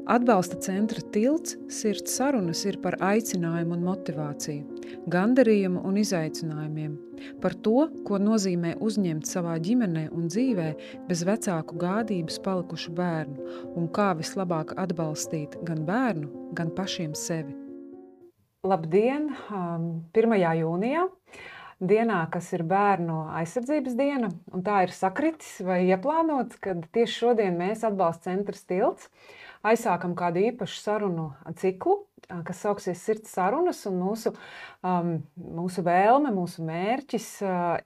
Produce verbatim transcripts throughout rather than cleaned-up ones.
Atbalsta centra tilts sirds sarunas ir par aicinājumu un motivāciju, gandarījumu un izaicinājumiem, par to, ko nozīmē uzņemt savā ģimenē un dzīvē bez vecāku gādības palikušu bērnu un kā vislabāk atbalstīt gan bērnu, gan pašiem sevi. Labdien! pirmajā jūnijā, dienā, kas ir bērnu aizsardzības diena, un tā ir sakritis vai ieplānots, kad tieši šodien mēs Atbalsta centrs tilts aizsākam kādu īpašu sarunu ciklu, kas sauksies Sirds sarunas, un mūsu, um, mūsu vēlme, mūsu mērķis uh,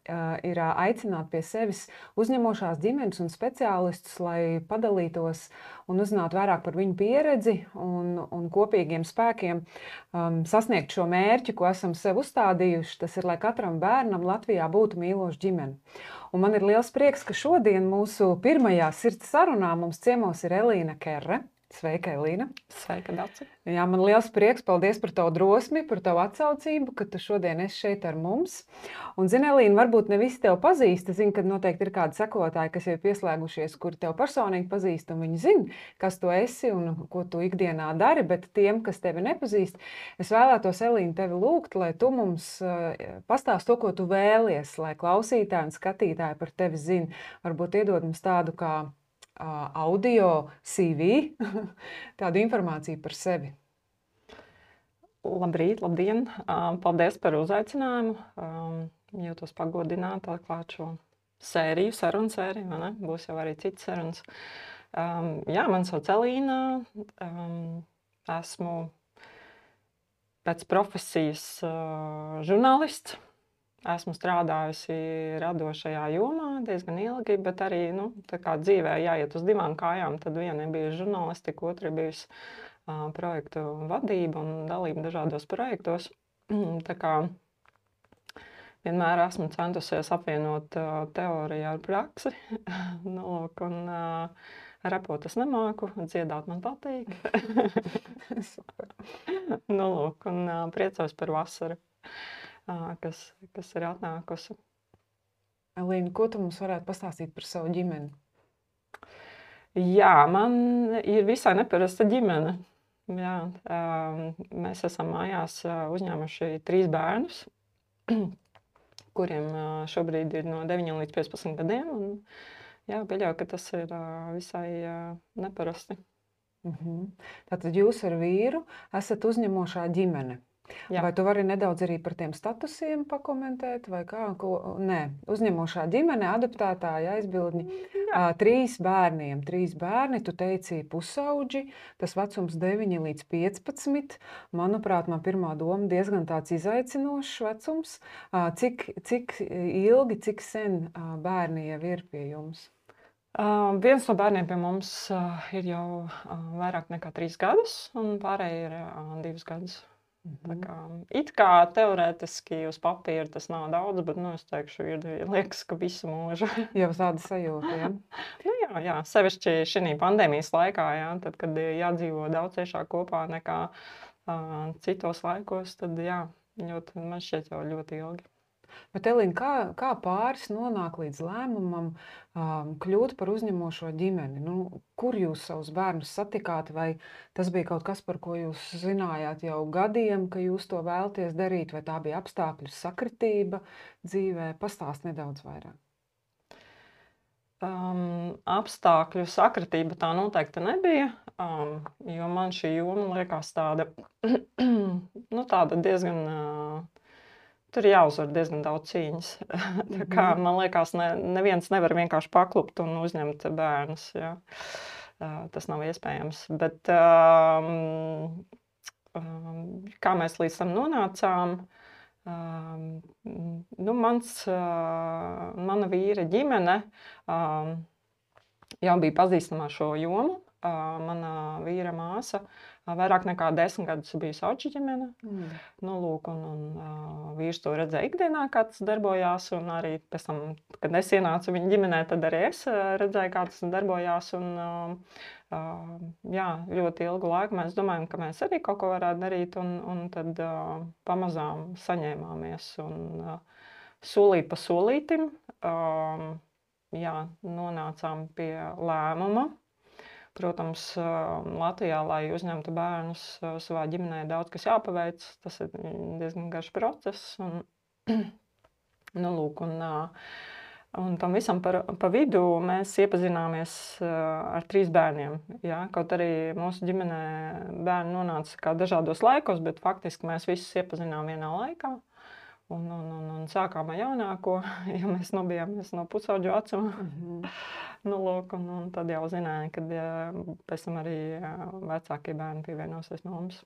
ir aicināt pie sevis uzņemošās ģimenes un speciālistus, lai padalītos un uzzinātu vairāk par viņu pieredzi un, un kopīgiem spēkiem um, sasniegt šo mērķi, ko esam sev uzstādījuši. Tas ir, lai katram bērnam Latvijā būtu mīloša ģimene. Un man ir liels prieks, ka šodien mūsu pirmajā Sirds sarunā mums ciemos ir Elīna Kerre. Sveika, Elīna! Sveika, Daci! Jā, man liels prieks, paldies par tavu drosmi, par tavu atsaucību, ka tu šodien esi šeit ar mums. Un, zini, Elīna, varbūt ne visi tev pazīst. Es zinu, ka noteikti ir kādi sekotāji, kas jau ir pieslēgušies, kuri tev personīgi pazīst, un viņi zina, kas tu esi un ko tu ikdienā dari, bet tiem, kas tevi nepazīst, es vēlētos, Elīna, tevi lūgt, lai tu mums uh, pastāst to, ko tu vēlies, lai klausītāji un skatītāji par tevi zina. Varbūt iedod mums tādu kā audio C V, tādu informāciju par sevi. Labrīt, labdien! Paldies par uzaicinājumu. Jūtos pagodināta atklāt šo sēriju, sarunu sēriju, vai ne? Būs jau arī citas sarunas. Jā, man sauc Elīna. Esmu pēc profesijas žurnālists. Esmu strādājusi radošajā jomā diezgan ilgi, bet arī nu, tā kā dzīvē jāiet uz divām kājām. Tad viena ir bijusi žurnālistika, otra ir bijusi uh, projektu vadība un dalība dažādos projektos. Tā kā vienmēr esmu centusies apvienot uh, teoriju ar praksi. nu, lūk, un, uh, repot es nemāku, dziedāt man patīk. nu, lūk, un uh, priecājos par vasaru. Kas, kas ir atnākusi. Elīna, ko tu mums varētu pastāstīt par savu ģimeni? Jā, man ir visai neparasta ģimene. Jā, mēs esam mājās uzņēmuši trīs bērnus, kuriem šobrīd ir no deviņiem līdz piecpadsmit gadiem. Un, jā, pieļauju, ka tas ir visai neparasti. Mhm. Tātad jūs ar vīru esat uzņemošā ģimene. Jā. Vai tu vari nedaudz arī par tiem statusiem pakomentēt, vai kā? Ko? Nē, uzņemošā ģimene, adoptētāja aizbildņi, à, trīs bērniem, trīs bērni, tu teici pusauģi, tas vecums deviņi līdz piecpadsmit. Manuprāt, man pirmā doma diezgan tāds izaicinošs vecums. À, cik, cik ilgi, cik sen à, bērni jau ir pie jums? Uh, viens no bērniem pie mums uh, ir jau uh, vairāk nekā trīs gadus, un pārējie ir uh, divus gadus. Tā kā, it kā teorētiski uz papīra tas nav daudz, bet, nu, es teikšu, ir, liekas, ka visu mūžu. Jau tāda sajūta, ja? nu, jā, jā, sevišķi šī pandēmijas laikā, jā, tad, kad jādzīvo daudz ciešāk kopā nekā uh, citos laikos, tad, jā, ļoti, man šķiet jau ļoti ilgi. Bet, Elīna, kā, kā pāris nonāk līdz lēmumam um, kļūt par uzņemošo ģimeni? Nu, kur jūs savus bērnus satikāt? Vai tas bija kaut kas, par ko jūs zinājāt jau gadiem, ka jūs to vēlaties darīt? Vai tā bija apstākļu sakritība dzīvē? Pastāst nedaudz vairāk. Um, apstākļu sakritība tā noteikti nebija, um, jo man šī joma liekas tāda, nu, tāda diezgan... Uh, Tur ir jāuzvar diezgan daudz cīņas. Tā kā, man liekas, ne, neviens nevar vienkārši paklupt un uzņemt bērnus. Jā. Tas nav iespējams. Bet um, um, kā mēs līdz tam nonācām, um, nu, mans, uh, mana vīra ģimene um, jau bija pazīstama šo jomu. Uh, mana vīra māsa uh, vairāk nekā desmit gadus bija sauču ģimene. Mm. Nu, lūk, un, un uh, vīrs to redzēja ikdienā, kā tas darbojās, un arī pēc tam, kad es ienācu viņa ģimenē, tad arī es uh, redzēju, kā tas darbojās, un uh, uh, jā, ļoti ilgu laiku mēs domājam, ka mēs arī kaut ko varētu darīt, un, un tad uh, pamazām saņēmāmies, un uh, solīt pa solītim, uh, jā, nonācām pie lēmuma protams, Latvijā, lai uzņemtu bērnus savā ģimenē, daudz kas jāpaveic. Tas ir diezgan garš process. Un, nu, lūk, un, un tam visam par, pa vidu mēs iepazināmies ar trīs bērniem. Ja? Kaut arī mūsu ģimenē bērni nonāca kā dažādos laikos, bet faktiski mēs visus iepazinām vienā laikā. Un, un, un, un sākām ar jaunāko, ja mēs nobijāmies no pusauģu vecuma. Mm-hmm. nu, lūk, un, un tad jau zināja, ka pēc tam arī vecākie bērni pievienosies no mums.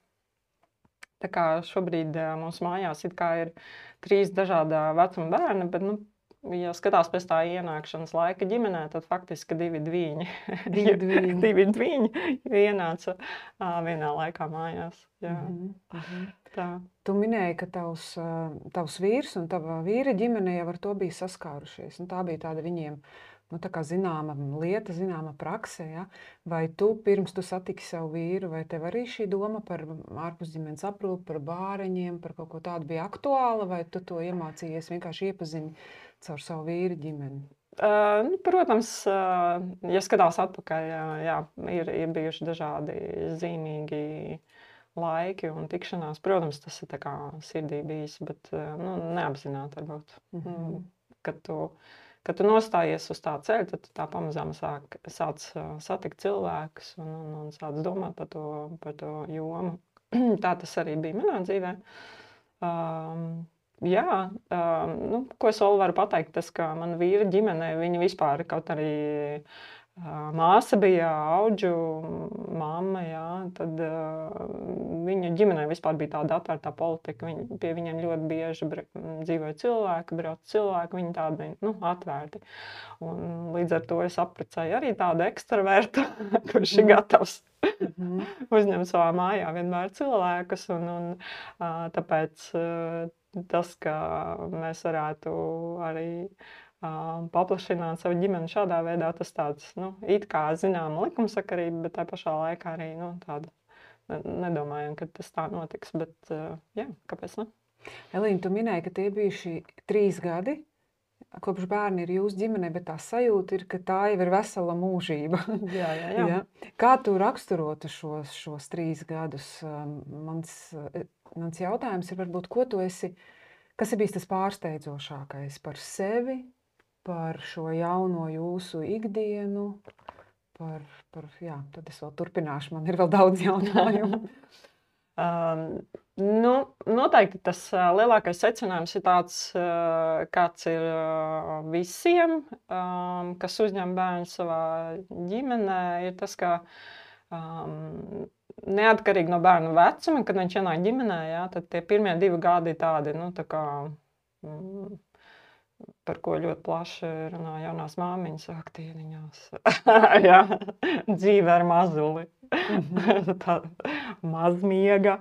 Tā kā šobrīd mūsu mājās it kā ir trīs dažādā vecuma bērni, bet, nu, ja skatās pēc tā ienākšanas laika ģimenē, tad faktiski divi dviņi. Divi dviņi. divi dviņi ienāca vienā laikā mājās. Jā. Mm-hmm. Mm-hmm. Tā. Tu minēji, ka tavs, tavs vīrs un tava vīra ģimene jau ar to bija saskārušies. Un tā bija tāda viņiem, nu, tā kā zināma lieta, zināma prakse. Ja? Vai tu pirms tu satiki savu vīru, vai tev arī šī doma par ārpusģimenes aprūpi, par bāreņiem, par kaut ko tādu bija aktuāla, vai tu to iemācījies vienkārši iepazini caur savu vīru ģimeni? Uh, nu, protams, uh, ja skatās atpakaļ, jā, ir, ir bijuši dažādi zīmīgi laiki un tikšanās. Protams, tas ir tā kā sirdī bijis, bet nu, neapzināti varbūt. Mm-hmm. Kad tu, kad tu nostājies uz tā ceļa, tad tu tā pamazām sāk, sāc satikt cilvēkus un, un, un sāc domāt par to, par to jomu. Tā tas arī bija manā dzīvē. Um, jā, um, nu, ko es vēl varu pateikt, tas, ka man vīra ģimenē, viņi vispār kaut arī māsa bija auģu mamma, jā, tad uh, viņu ģimenē vispār bija tāda atvērtā politika. Viņi, pie viņiem ļoti bieži br- dzīvoja cilvēki, brauc cilvēki, viņi tādi, nu, atvērti. Un līdz ar to es apprecēju arī tādu ekstravertu, kurš ir gatavs mm-hmm. uzņemt savā mājā vienmēr cilvēkus. Un, un uh, tāpēc uh, tas, ka mēs varētu arī paplašināt savu ģimeni šādā veidā, tas tāds, nu, it kā zināma likumsakarība, bet tā pašā laikā arī, nu, tāda, nedomājam, ka tas tā notiks, bet, jā, kāpēc ne? Elīna, tu minēji, ka tie bijuši trīs gadi, kopš bērni ir jūsu ģimenē, bet tā sajūta ir, ka tā jau ir vesela mūžība. Jā, jā, jā. Ja? Kā tu raksturotu šos, šos trīs gadus? Mans, mans jautājums ir varbūt, ko tu esi, kas ir bijis tas pārsteidzošākais par sevi, par šo jauno jūsu ikdienu, par, par, jā, tad es vēl turpināšu, man ir vēl daudz jautājumu. um, nu, noteikti tas uh, lielākais secinājums ir tāds, uh, kāds ir uh, visiem, um, kas uzņem bērnu savā ģimenē, ir tas, ka um, neatkarīgi no bērnu vecuma, kad viņš ienāk ģimenē, jā, tad tie pirmie divi gadi ir tādi, nu, tā kā... Mm, par ko ļoti plaši runā jaunās māmiņas aktīriņās. Jā, dzīve ar mazuli. Tā mazmiega.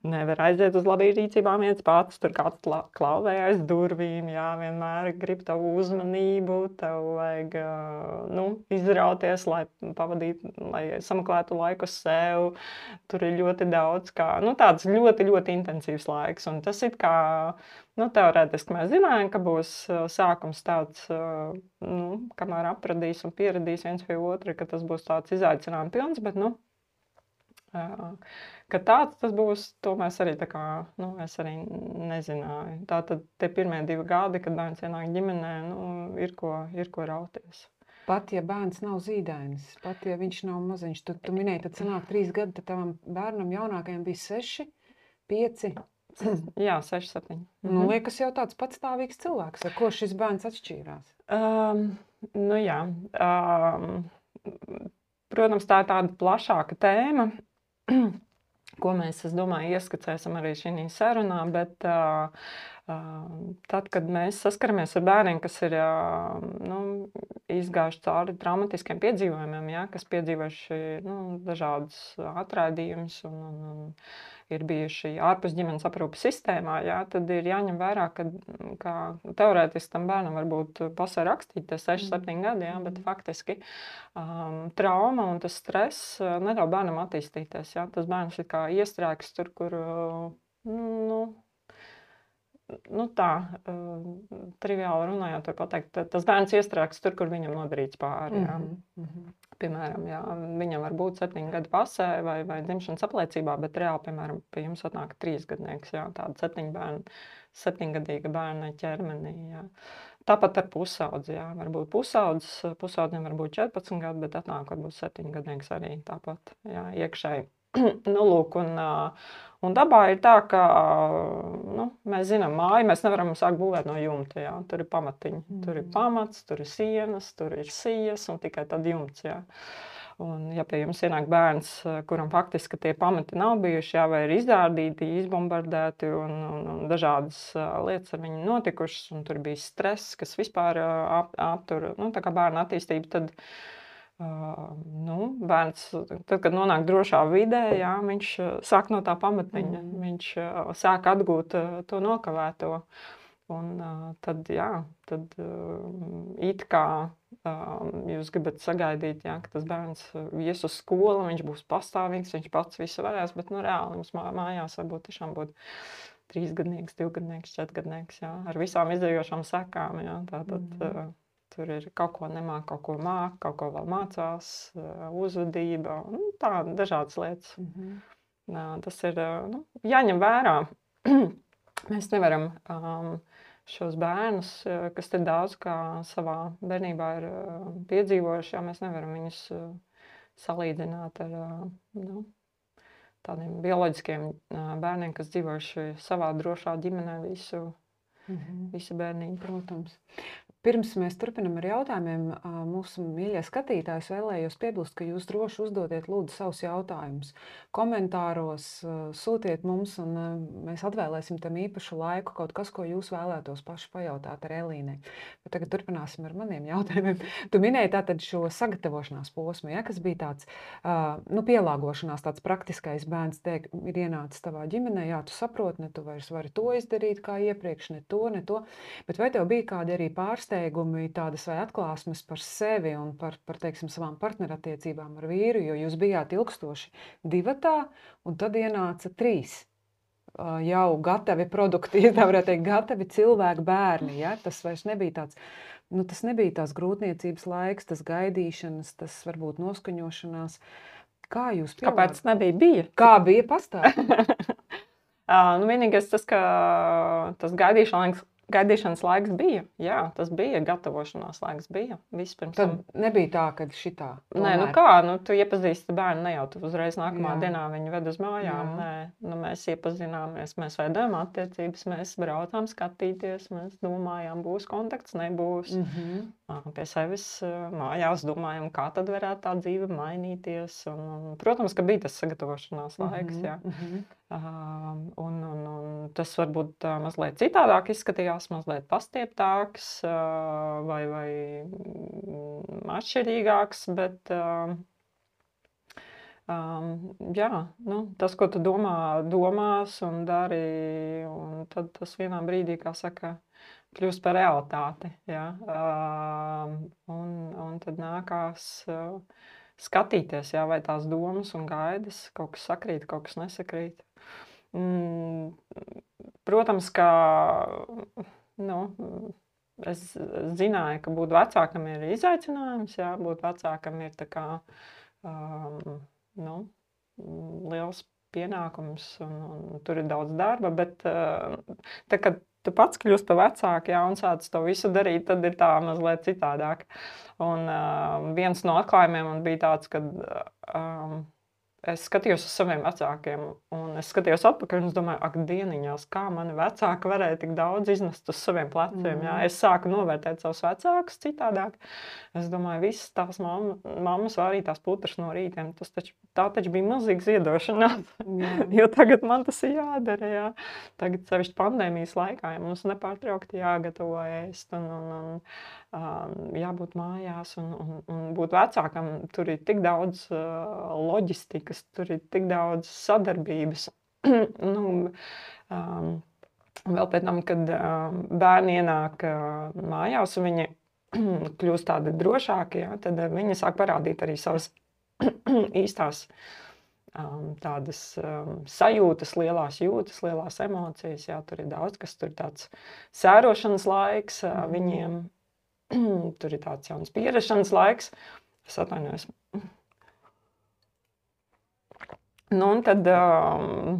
Nevar aiziet uz labību rīcībām viens pats, tur kāds klauvē aiz durvīm, jā, vienmēr grib tavu uzmanību, tev vajag, nu, izrauties, lai pavadītu, lai samaklētu laiku sev. Tur ir ļoti daudz, kā, nu, tāds ļoti, ļoti intensīvs laiks, un tas ir kā, nu, teorētiski mēs zinājām, ka būs sākums tāds, nu, kamēr apradīs un pieradīs viens pie otra, ka tas būs tāds izaicinājums pilns, bet, nu, ka tāds tas būs, to mēs arī tā kā, nu, es arī nezināju. Tātad tie pirmie divi gadi, kad bērns ienāk ģimenē, nu, ir ko, ir ko rauties. Pat ja bērns nav zīdainis, pat ja viņš nav maziņš, tu, tu minēji, tad sanāk trīs gadi, tad tavam bērnam jaunākajam bija seši, pieci. Jā, seši, septiņi. Nu, liekas jau tāds patstāvīgs cilvēks, ar ko šis bērns atšķīrās. Um, nu jā, um, protams, tā ir tāda plašāka tēma, ko mēs, es domāju, ieskicēsim arī šī sarunā, bet uh, uh, tad, kad mēs saskaramies ar bērniem, kas ir uh, nu, izgājuši cauri traumatiskiem piedzīvojumiem, ja, kas piedzīvojuši nu, dažādus atraidījumus un, un, un ir bijuši ārpus ģimenes aprūpes sistēmā, ja, tad ir jāņem vērā, ka, ka teorētiski tam bērnam varbūt pasē rakstīt tie seši, septiņi gadi, ja, bet faktiski um, trauma un tas stress neļauj bērnam attīstīties. Ja. Tas bērns ir kā iestrēgs tur, kur, nu, nu tā, uh, triviāli runājot, var pateikt, tas bērns iestrēgs tur, kur viņam nodarīts pāri, jā. Mm -hmm. Piemēram, jā, viņam var būt septiņu gadu pasē vai, vai dzimšanas apliecībā, bet reāli, piemēram, pie jums atnāk trīsgadnieks, jā, tāda septiņu bērnu, septiņgadīga bērna ķermenī, jā. Tāpat ar pusaudzi, jā, varbūt pusaudzis, pusaudzim var būt četrpadsmit gadi, bet atnāk varbūt septiņgadnieks arī tāpat, jā, iekšēji. Nu, lūk, un, un dabā ir tā, ka, nu, mēs zinām, māju mēs nevaram sākt būvēt no jumta, jā, tur ir pamatiņi, mm. tur ir pamats, tur ir sienas, tur ir sijas un tikai tad jumts, jā. Un, ja pie jums ienāk bērns, kuram faktiski tie pamati nav bijuši, jā, vai ir izdārdīti, izbombardēti un, un, un dažādas lietas ar viņu notikušas, un tur bija stress, kas vispār ap, aptur, nu, tā kā bērna attīstība, tad Uh, nu, bērns, tad, kad nonāk drošā vidē, jā, viņš sāk no tā pamatiņa, mm. viņš uh, sāk atgūt uh, to nokavēto. Un uh, tad, jā, tad uh, it kā uh, jūs gribat sagaidīt, jā, ka tas bērns ies uz skolu, viņš būs pastāvīgs, viņš pats visu varēs, bet, nu, reāli jums mājās varbūt tiešām būt trīsgadnieks, divgadnieks, četrgadnieks, jā, ar visām izdējošām sekām, jā, tātad... Mm. Uh, Tur ir kaut ko nemāk, kaut ko māk, kaut ko vēl mācās, uzvedība, nu, tā, dažādas lietas. Mm-hmm. Tas ir, nu, jāņem vērā. Mēs nevaram um, šos bērnus, kas te daudz kā savā bērnībā ir uh, piedzīvojuši, jā, mēs nevaram viņus uh, salīdzināt ar uh, nu, tādiem bioloģiskiem uh, bērniem, kas dzīvojuši savā drošā ģimenē visu, mm-hmm. visu bērnību. Protams. Pirms mēs turpinam ar jautājumiem, mūsu mīļie skatītājs vēlējos piebilst, ka jūs droši uzdodiet lūdzu savus jautājumus. Komentāros sūtiet mums, un mēs atvēlēsim tam īpašu laiku, kaut kas, ko jūs vēlētos paši pajautāt ar Elīnai. Bet tagad turpināsim ar maniem jautājumiem. Tu minēji tātad šo sagatavošanās posmu, ja, kas bija tāds, nu, pielāgošanās, tāds praktiskais bērns, teik, ir ienācis tavā ģimenē, jā, tu saproti, ne tu vairs vari to izdarīt kā iepriekš, ne to, ne to. Bet vai tev bija kādi arī pārsteigumi, tādas vai atklāsmes par sevi un par, par teiksim, savām partnerattiecībām ar vīru, jo jūs bijāt ilgstoši divatā, un tad ienāca trīs jau gatavi produkti, tā varētu teikt, gatavi cilvēki, bērni, ja? Tas vairs nebija tāds, nu, tas nebija tās grūtniecības laiks, tas gaidīšanas, tas varbūt noskaņošanās. Kā jūs pielāgot? Kāpēc nebija? Bija. Kā bija pastāv? uh, nu, vienīgais tas, ka tas gaidīšanas Gaidīšanas laiks bija, jā, tas bija, gatavošanās laiks bija. Vispirms. Tad nebija tā, ka šitā. Tomēr. Nē, nu kā, nu tu iepazīsti bērnu, ne jau tu uzreiz nākamā jā. dienā viņu ved uz mājām. Jā. Nē, nu mēs iepazināmies, mēs veidojam attiecības, mēs braucām skatīties, mēs domājām, būs kontakts, nebūs. Mm-hmm. Pie sevis mājās domājam, kā tad varētu tā dzīve mainīties. Un, un, protams, ka bija tas sagatavošanās laiks, mm-hmm. jā. Mm-hmm. Uh, un, un, un tas varbūt uh, mazliet citādāk izskatījās, mazliet pastieptāks uh, vai, vai atšķirīgāks, bet uh, um, jā, nu, tas, ko tu domā, domās un dari, un tad tas vienā brīdī, kā saka, kļūst par realitāti, jā, uh, un, un tad nākās uh, skatīties, jā, vai tās domas un gaidas, kaut kas sakrīt, kaut kas nesakrīt. Mm, protams, ka nu, es zināju, ka būt vecākam ir izaicinājums, jā, būt vecākam ir tā kā um, nu, liels pienākums un, un tur ir daudz darba, bet uh, tā, kad tu pats kļūst par vecāku, jā, un sāc to visu darīt, tad ir tā mazliet citādāk. Un uh, viens no atklājumiem man bija tāds, ka um, es skatījos uz saviem vecākiem, un es skatījos atpakaļ, un es domāju, ak, dieniņās, kā mani vecāki varēja tik daudz iznest uz saviem pleciem. Mm. Jā. Es sāku novērtēt savus vecākus citādāk. Es domāju, visas tās mamma, mammas vārītās putras no rītiem, tas taču, tā taču bija milzīga ziedošanās, mm. jo tagad man tas ir jādara. Jā. Tagad sevišķi pandēmijas laikā, ja mums nepārtraukti jāgatavo ēst, un, un, un um, jābūt mājās, un, un, un būt vecākam, tur ir tik daudz uh, loģistika, tur ir tik daudz sadarbības. nu, um, vēl pēc tam, kad um, bērni ienāk uh, mājās un viņi kļūst tādi drošāki, jā, tad viņi sāk parādīt arī savas īstās um, tādas um, sajūtas, lielās jūtas, lielās emocijas. Jā, tur ir daudz, kas tur ir tāds sērošanas laiks uh, viņiem. Tur ir tāds jauns pierašanas laiks. Es atvainojos. Nu, un tad um,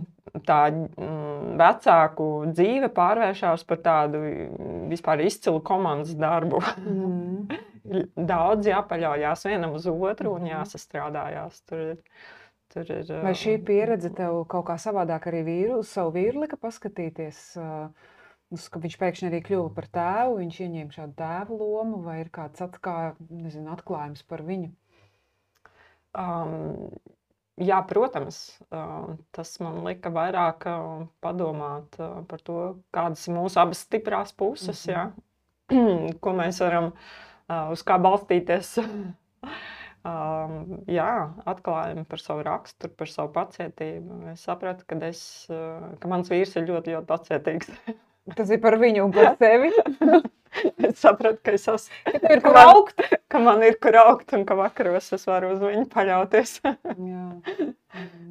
tā um, vecāku dzīve pārvēršās par tādu vispār izcilu komandas darbu. Mm. Daudz jāpaļaujās vienam uz otru un jāsastrādājās. Tur ir, tur ir, Vai šī pieredze tev kaut kā savādāk arī vīru, uz savu vīru lika paskatīties, uh, uz, ka viņš pēkšņi arī kļuva par tēvu, viņš ieņēma šādu tēvu lomu, vai ir kāds at, kā, nezinu, atklājums par viņu? Um, jā, protams, uh, tas man lika vairāk uh, padomāt uh, par to, kādas ir mūsu abas stiprās puses, mm-hmm. jā, ko mēs varam, uh, uz kā balstīties. Um, jā, atklājumi par savu raksturu, par savu pacietību. Es sapratu, ka, es, uh, ka mans vīrs ir ļoti, ļoti pacietīgs. Tas ir par viņu un par tevi. Es sapratu, ka es esmu, ka, ir kur man, augt. ka man ir kur augt un ka vakaros es varu uz viņu paļauties. Jā.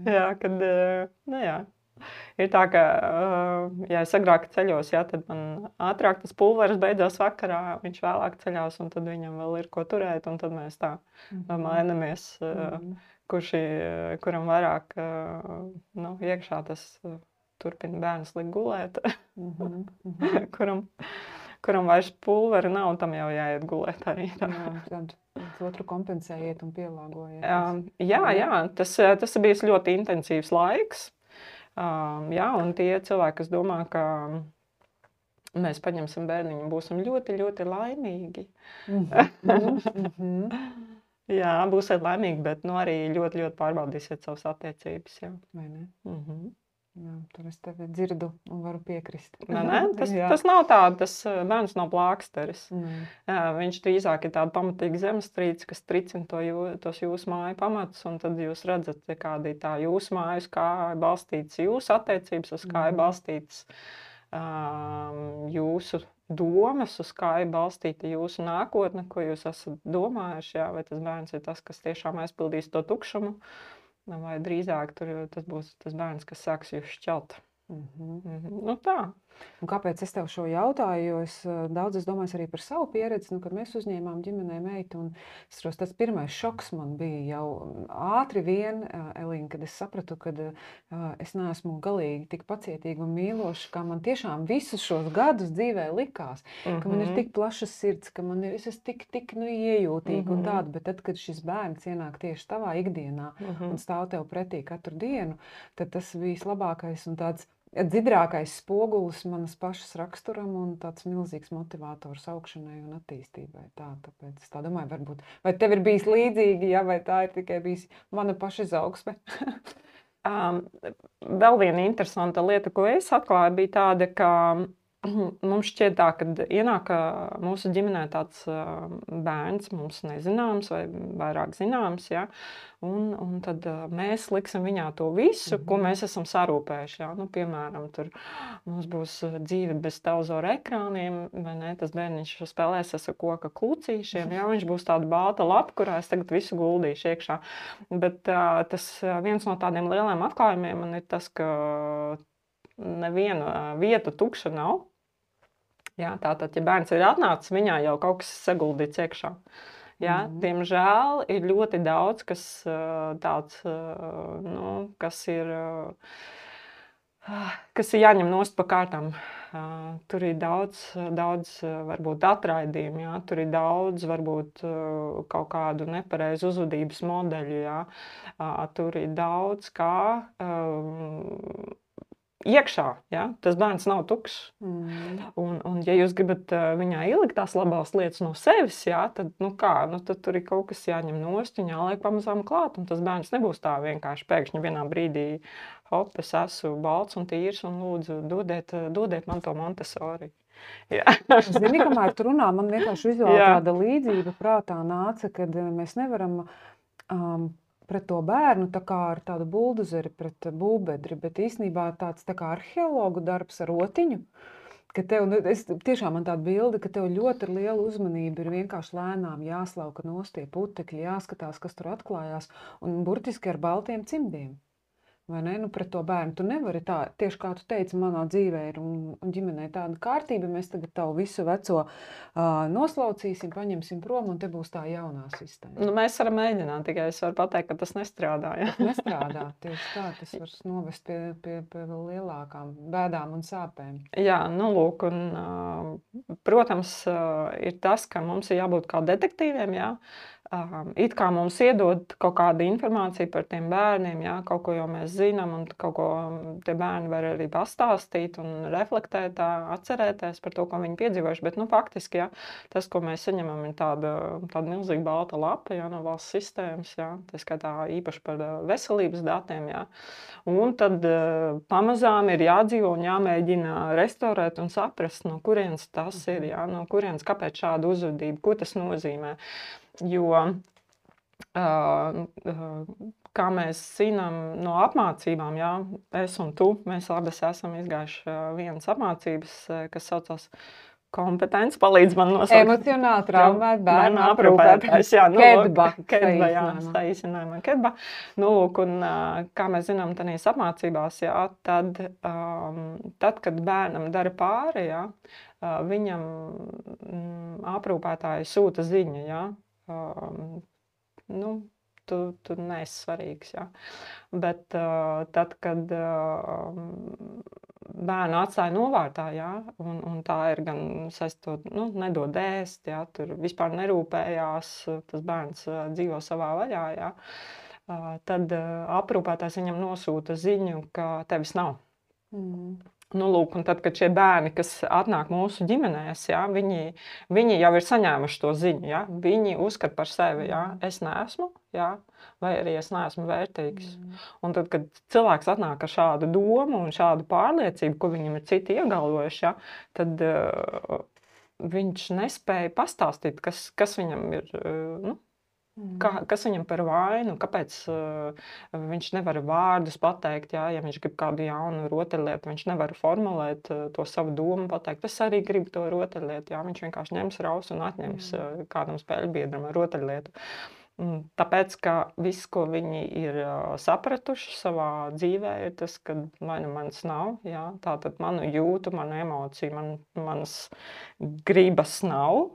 Jā, kad, nu jā. Ir tā, ka, ja es agrāk ceļos, jā, tad man ātrāk tas pulveris beidzās vakarā, viņš vēlāk ceļās, un tad viņam vēl ir ko turēt, un tad mēs tā mm-hmm. mainamies, mm-hmm. kurš, kuram vairāk, nu, iekšā tas turpina bērns likt gulēt, mm-hmm. Mm-hmm. kuram, kuram vairs pulveri nav, un tam jau jāiet gulēt arī. Tā. Jā, tad otru kompensējiet un pielāgojiet. Jā, jā, tas, tas ir bijis ļoti intensīvs laiks. Um, jā, un tie cilvēki, kas domā, ka mēs paņemsim bērniņu un būsim ļoti, ļoti laimīgi. Mm-hmm. Jā, būsiet laimīgi, bet nu, arī ļoti, ļoti pārbaudīsiet savas attiecības. Jā. Vai ne? Mm-hmm. Jā, tur es tevi dzirdu un varu piekrist. Ne, ne? Tas, tas nav tā, tas bērns nav plāksteris. Mm. Jā, viņš drīzāk ir tāda pamatīga zemestrīce, kas tricina to jū, tos jūsu māju pamatus, un tad jūs redzat, kāda ir tā jūsu mājas, kā ir balstīts jūsu attiecības, uz kā ir balstīts um, jūsu domas, uz kā ir balstīta jūsu nākotne, ko jūs esat domājuši, jā, vai tas bērns ir tas, kas tiešām aizpildīs to tukšumu. Vai drīzāk tur, tas būs tas bērns, kas sāks jūs šķelt. Mm-hmm. Mm-hmm. Nu tā. Un kāpēc es tev šo jautāju? Jo es daudz es domāju arī par savu pieredzi, nu, kad mēs uzņēmām ģimenē meitu. Un es tos, tas pirmais šoks man bija jau ātri vien, Elīna, kad es sapratu, ka es neesmu galīgi tik pacietīga un mīloša, kā man tiešām visus šos gadus dzīvē likās. Mm-hmm. Ka man ir tik plašas sirds, ka man ir, es esmu tik, tik nu, iejūtīga mm-hmm. un tāda. Bet tad, kad šis bērns ienāk tieši tavā ikdienā mm-hmm. un stāv tev pretī katru dienu, tad tas bija labākais un tāds dzidrākais spogulis manas pašas raksturam un tāds milzīgs motivators augšanai un attīstībai. Tā, tāpēc es tā domāju, varbūt, vai tev ir bijis līdzīgi, ja, vai tā ir tikai bijis mana paša izaugsme? um, vēl viena interesanta lieta, ko es atklāju, bija tāda, ka mums šķiet tā, kad ienāk mūsu ģimenē tāds bērns, mums nezināms vai vairāk zināms, ja, un, un tad mēs liksim viņā to visu, mm-hmm. ko mēs esam sarūpējuši. Ja. Nu, piemēram, tur mums būs dzīve bez televizora ekrāniem, vai ne, tas bērniņš spēlēsies ar koka klucīšiem, ja, viņš būs tāda balta lapa, kurā es tagad visu guldīšu iekšā. Bet uh, tas viens no tādiem lieliem atklājumiem man ir tas, ka neviena vieta tukša nav. Jā, tātad, ja bērns ir atnācis, viņā jau kaut kas saguldīts iekšā. Jā, mm-hmm. Diemžēl ir ļoti daudz, kas tāds, nu, kas ir, kas ir jāņem nost pa kārtām. Tur ir daudz, daudz varbūt atraidījumu, jā, tur ir daudz, varbūt kaut kādu nepareizu uzvedības modeļu, jā. Tur ir daudz kā um, iekšā, ja? Tas bērns nav tukšs. Mm. Un, un ja jūs gribat uh, viņā ielikt tās labās lietas no sevis, ja? Tad, nu kā, nu, tad tur ir kaut kas jāņem nost un jāliek pamazām klāt. Un tas bērns nebūs tā vienkārši pēkšņi vienā brīdī, hop, es esmu balts un tīrs un lūdzu, dodiet, dodiet man to Montessori. Zini, kamēr tu runā, man vienkārši vizuāli tāda līdzība prātā nāca, kad mēs nevaram um, pret to bērnu tā kā ar tādu buldozeri pret būvbedri, bet īstenībā tāds tā kā arheologu darbs ar rotiņu, ka tev, nu, es, tiešām man tāda bilde, ka tev ļoti ar lielu uzmanību ir vienkārši lēnām jāslauka nost tie putekļi, jāskatās, kas tur atklājās, un burtiski ar baltiem cimdiem. vai ne, nu pret to bērnu. Tu nevari tā, tieši kā tu teici, manā dzīvē ir un, un ģimenē tāda kārtība, mēs tagad tavu visu veco uh, noslaucīsim, paņemsim prom un te būs tā jaunā sistēma. Nu, mēs varam mēģināt, tikai es varu pateikt, ka tas nestrādā. Ja? Tas nestrādā, tieši tā, tas var novest pie, pie, pie vēl lielākām bēdām un sāpēm. Jā, nu lūk, un, uh, protams, uh, ir tas, ka mums ir jābūt kā detektīviem, jā. Um, it kā mums iedod kaut kādu informāciju par tiem bērniem, jā, kaut ko jau mēs zinām, un kaut ko tie bērni var arī pastāstīt un reflektēt, tā, atcerēties par to, ko viņi piedzīvojuši. Bet, nu, faktiski, jā, tas, ko mēs saņemam, ir tāda, tāda milzīga balta lapa, jā, no valsts sistēmas, jā, tā skaitā īpaši par veselības datiem, jā. Un tad uh, pamazām ir jādzīvo un jāmēģina restaurēt un saprast, no kurienes tas ir, jā, no kurienes, kāpēc šāda uzvedība, ko tas nozīmē. Jo, uh, uh, kā mēs zinām no apmācībām, jā, es un tu, mēs abas esam izgājuši uh, vienas apmācības, uh, kas saucās kompetence, palīdz man nosaukt. Emocionāli traumēt bērnu aprūpētājs. Jā, nu, Kedba. Kedba, jā, saīsinājumā Kedba. Nu, lūk, un uh, kā mēs zinām tanīs apmācībās, jā, tad, um, tad, kad bērnam dara pāri, jā, uh, viņam mm, aprūpētāji sūta ziņa, jā, Um, nu, tu, tu neesi svarīgs, jā. Bet uh, tad, kad uh, bērnu atstāja novārtā, jā, un, un tā ir gan saistot, nu, nedod ēst, jā, tur vispār nerūpējās, tas bērns uh, dzīvo savā vaļā, jā, uh, tad uh, aprūpētājs viņam nosūta ziņu, ka tevis nav. Mm. Nu, lūk, un tad, kad šie bērni, kas atnāk mūsu ģimenēs, jā, viņi, viņi jau ir saņēmuši to ziņu, jā, viņi uzskata par sevi, jā, es neesmu, jā, vai arī es neesmu vērtīgs. Mm. Un tad, kad cilvēks atnāk ar šādu domu un šādu pārliecību, ko viņam ir citi iegalvojuši, jā, tad uh, viņš nespēja pastāstīt, kas, kas viņam ir, uh, nu, Kā, kas viņam par vainu, kāpēc uh, viņš nevar vārdus pateikt, jā, ja viņš grib kādu jaunu rotaļlietu, viņš nevar formulēt uh, to savu domu, pateikt, es arī gribu to rotaļlietu, jā, viņš vienkārši ņems raus un atņems uh, kādam spēļbiedram rotaļlietu. Un tāpēc, ka viss, ko viņi ir uh, sapratuši savā dzīvē, ir tas, ka vai nu manis nav, jā, tātad manu jūtu, manu emociju, man, manas gribas nav,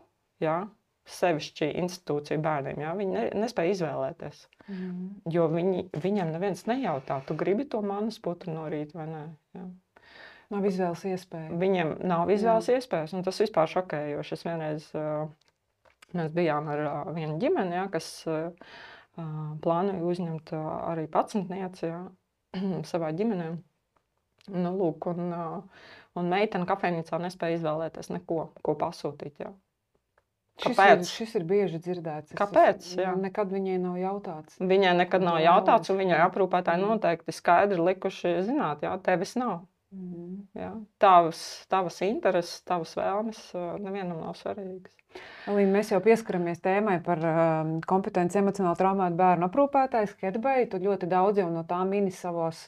jā, sevišķi institūciju bērniem, jā, viņi ne, nespēja izvēlēties, mm. jo viņi, viņam neviens nejautā, tu gribi to manas putru no rīta vai nē, jā. Nav izvēles iespēja. Viņiem nav izvēles jā. Iespējas, un tas vispār šokējoši. Es vienreiz, uh, mēs bijām ar uh, vienu ģimeni, jā, kas uh, plānoja uzņemt uh, arī pacientnieci, jā, savā ģimenē. Nu, lūk, un, uh, un meitene kafejnīcā nespēja izvēlēties neko, ko pasūtīt, jā. Kāpēc? Šis ir, šis ir bieži dzirdēts. Kāpēc? Jā. Nekad viņai nav jautāts. Viņai nekad nav jautāts, un viņai aprūpētāji noteikti skaidri likuši zināt, jā, tevis nav. Mm. Jā. Tavas, tavas intereses, tavas vēlmes nevienam nav svarīgas. Alīna, mēs jau pieskaramies tēmai par um, kompetenci emocionāli traumētu bērnu aprūpētājs Kedbai. Tu ļoti daudz jau no tā mini savos,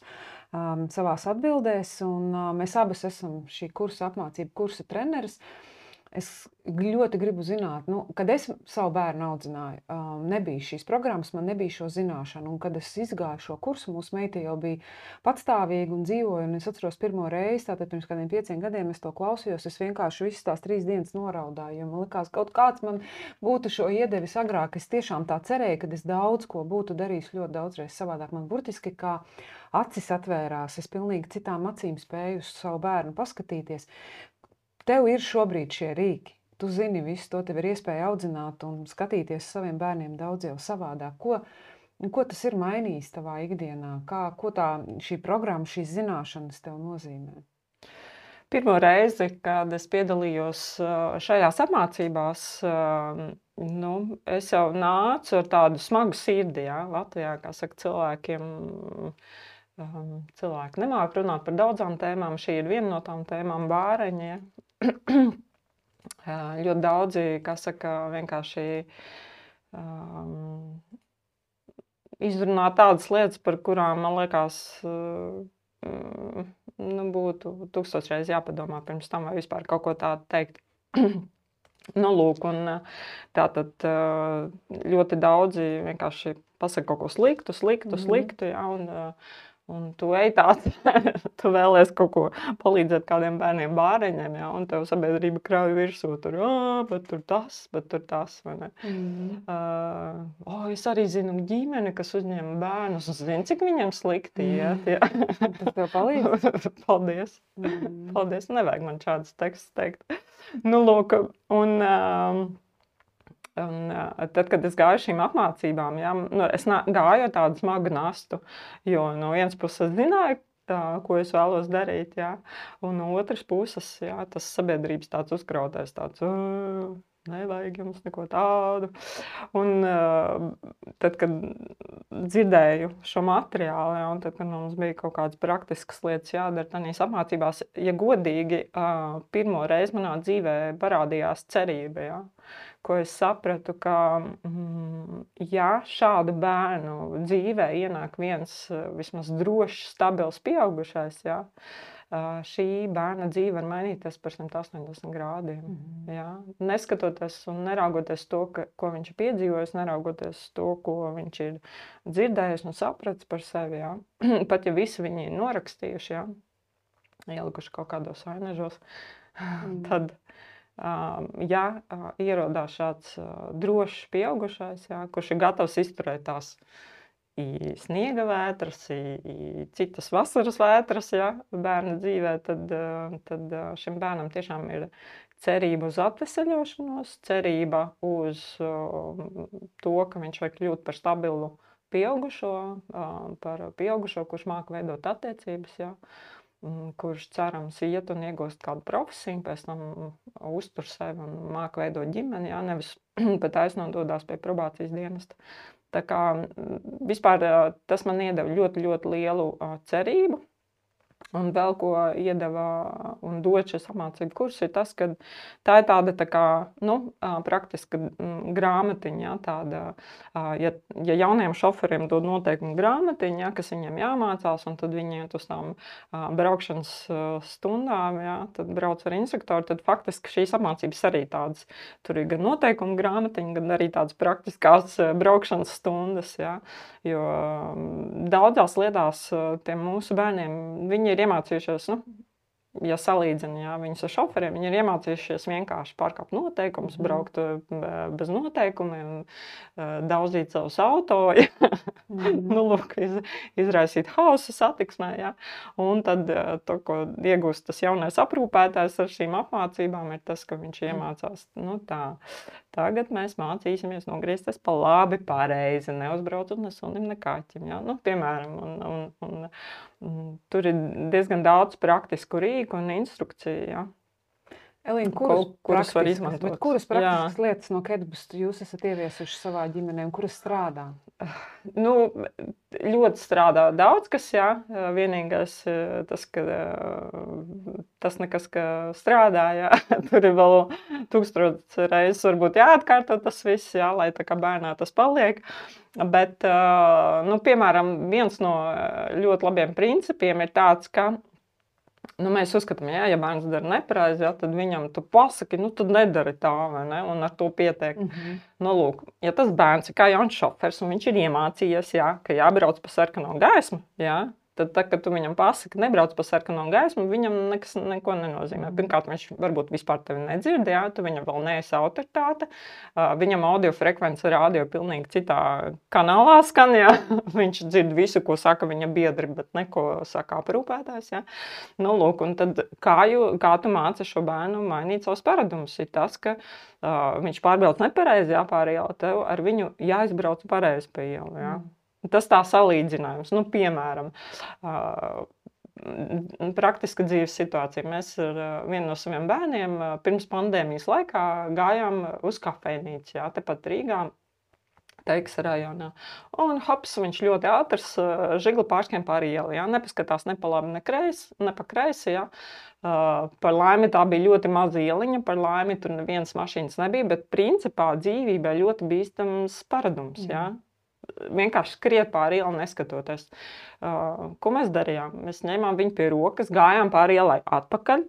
um, savās atbildēs, un uh, mēs abas esam šī kursa apmācību kursa treneris. Es ļoti gribu zināt, nu, kad es savu bērnu audzināju, um, nebija šīs programmas, man nebija šo zināšanu. Un kad es izgāju šo kursu, mūsu meita jau bija patstāvīga un dzīvoja. Un es atceros pirmo reizi, tātad pirms kādiem pieciem gadiem es to klausījos. Es vienkārši visas tās trīs dienas noraudāju, jo man likās, kaut kāds man būtu šo iedevis agrāk. Es tiešām tā cerēju, ka es daudz ko būtu darījis ļoti daudzreiz savādāk. Man burtiski kā acis atvērās, es pilnīgi citām acīm spēju uz savu bērnu paskatīties. Tev ir šobrīd šie rīki. Tu zini visu, to tev ir iespēja audzināt un skatīties saviem bērniem daudz jau savādāk. Ko, ko tas ir mainījis tavā ikdienā? Kā, ko tā šī programma, šīs zināšanas tev nozīmē? Pirmo reizi, kad es piedalījos šajās apmācībās, nu, es jau nācu ar tādu smagu sirdi, jā, Latvijā, kā saka, cilvēkiem. Cilvēki nemāk runāt par daudzām tēmām. Šī ir viena no tām tēmām bāreņi. Ja? Ļoti daudzi, kā saka, vienkārši um, izrunā tādas lietas, par kurām, man liekas, um, nu, būtu tūkstošreiz jāpadomā pirms tam, vai vispār kaut ko tādu teikt. Nu, lūk, un tātad ļoti daudzi vienkārši pasaka kaut ko sliktu, sliktu, mm-hmm. sliktu, ja, un Un tu ej tāds, tu vēlies kaut ko palīdzēt kādiem bērniem bāreņiem, ja, un tev sabiedrība krauj virsū, tur, ā, bet tur tas, bet tur tas, vai ne? Mm. Uh, o, es arī zinu ģimeni, kas uzņem bērnus, un zinu, cik viņiem slikti iet, ja. Tas tev palīdz? Paldies. Mm. Paldies, nevajag man šādas tekstus teikt. Nu, lūk, un... Um, Un, uh, tad, kad es gāju šīm apmācībām, jā, nu, es nā, gāju ar tādu smagu nastu, jo no vienas puses zināju, tā, ko es vēlos darīt, jā, un no otras puses, jā, tas sabiedrības tāds uzkrautais, tāds, uh, nevajag jums neko tādu. Un uh, tad, kad dzirdēju šo materiālu, jā, un tad, kad mums bija kaut kādas praktiskas lietas jādara tādīs apmācībās, ja godīgi, uh, pirmo reizi manā dzīvē parādījās cerība, jā. Ko es sapratu, ka, mm, ja šādu bērnu dzīvē ienāk viens vismaz drošs, stabils pieaugušais, ja, šī bērna dzīve var mainīties par simt astoņdesmit grādiem. Mm-hmm. Ja. Neskatoties un neraugoties to, ka, ko viņš ir piedzīvojis, neraugoties to, ko viņš ir dzirdējis un sapratis par sevi. Ja. Pat ja visi viņi ir norakstījuši, ja, ielikuši kaut kādos ainežos, mm. tad... Uh, ja uh, ierodās šāds uh, drošs pieaugušais, jā, kurš ir gatavs izturēt tās i sniega vētras, i, i citas vasaras vētras, jā, bērna dzīvē, tad, uh, tad uh, šim bērnam tiešām ir cerība uz atveseļošanos, cerība uz uh, to, ka viņš var kļūt par stabilu pieaugušo, uh, par pieaugušo, kurš māca veidot attiecības, jā. Kurš cerams iet un iegūst kādu profesiju, pēc tam uztur sevi un māca veidot ģimeni, jā, nevis pat aiznododās pie probācijas dienesta. Tā kā vispār tas man iedeva ļoti, ļoti lielu cerību. Un vēl ko iedeva un dod šis apmācību kurs ir tas, ka tā ir tāda tā kā, nu, praktiska grāmatiņa, jā, tāda, ja, ja jauniem šoferiem dod noteikumu grāmatiņa, jā, kas viņiem jāmācās, un tad viņi iet uz tām braukšanas stundām, jā, tad brauc ar instruktoru, tad faktiski šīs apmācības arī tādas, tur ir gan noteikumu grāmatiņa, gan arī tādas praktiskās braukšanas stundas, jā, jo daudzās lietās tiem mūsu bērniem, viņi ir iemācījušies, nu, ja salīdzina, jā, viņus ar šoferiem, viņi ir iemācījušies vienkārši pārkāpt noteikumus, mm. braukt bez noteikumiem, daudzīt savus auto, ja. mm. nu, lūk, iz, izraisīt hausu satiksmē, jā. Un tad to, ko iegūst tas jaunais aprūpētājs ar šīm apmācībām, ir tas, ka viņš iemācās, nu tā, tagad mēs mācīsimies nogriezties pa labi, pareizi, neuzbraucot ne sunim, ne kaķim, jā. Nu, piemēram, un, un, un, un tur ir diezgan daudz praktisku rīku un instrukciju, jā. Elīna, kuras, kuras var izmantot? Kuras praktiskas jā. Lietas no Kedbus jūs esat ieviesuši savā ģimenē un kuras strādā? Nu, ļoti strādā daudz, kas, jā. Vienīgais tas, ka tas nekas, ka strādā, jā. Tur ir vēl tūkstotis reizes varbūt jāatkārto tas viss, jā, lai tā kā bērnā tas paliek. Bet, nu, piemēram, viens no ļoti labiem principiem ir tāds, ka nu, mēs uzskatām, jā, ja bērns dara nepareizi, jā, tad viņam tu pasaki, nu, tad nedari tā, vai ne, un ar to pietiek. Mm-hmm. Nu, lūk, ja tas bērns ir kā jauns šofers, un viņš ir iemācījies, jā, ka jābrauc pa sarkano gaismu, jā, tad, tad, kad tu viņam pasaki, nebrauc pa sarkano gaismu, viņam nekas neko nenozīmē. Pirmkārt, viņš varbūt vispār tevi nedzird, jā, tu viņam vēl neesi autoritāte, viņam audio frekvence rādio pilnīgi citā kanālā skan, jā, viņš dzird visu, ko saka viņa biedri, bet neko saka aprūpētājs, jā. Nu, lūk, un tad kā, jū, kā tu māci šo bērnu mainīt savus paradumus, ir tas, ka uh, viņš pārbrauc nepareizi, jā, pār ielu, tev ar viņu jāizbrauc pareizi pa ielu, jā. Mm. Tas tā salīdzinājums, nu, piemēram, uh, praktiska dzīves situācija. Mēs ar uh, vienu no saviem bērniem uh, pirms pandēmijas laikā gājām uz kafejnīcu, jā, tepat Rīgā, Teikas rajonā. Un hops, viņš ļoti ātrs uh, žigli pārskiem pār ielu, jā, nepaskatās ne pa labi, ne, kreis, ne pa kreisi, jā. Uh, par laimi tā bija ļoti maza ieliņa, par laimi tur nevienas mašīnas nebija, bet principā dzīvībā ļoti bīstams paradums, jā. Mm. Vienkārši skriet pāri ielu neskatoties. Uh, ko mēs darījām? Mēs ņēmām viņu pie rokas, gājām pāri ielai atpakaļ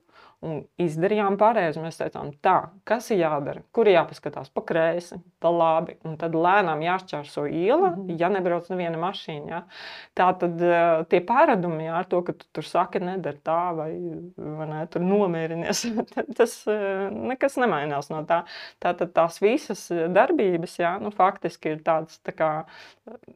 un izdarījām pareizi. Mēs teicām, tā, kas ir jādara, kur ir jāpaskatās pa kreisi, pa labi, un tad lēnām jāšķērso iela, Mhm. ja nebrauc neviena mašīna. Ja. Tā tad uh, tie pārādumi, ja, ar to, ka tu tur saki, nedara tā, vai, vai ne, tur nomierinies, tas uh, nekas nemainās no tā. Tātad tās visas darbības, ja, nu, faktiski ir tāds, tā kā,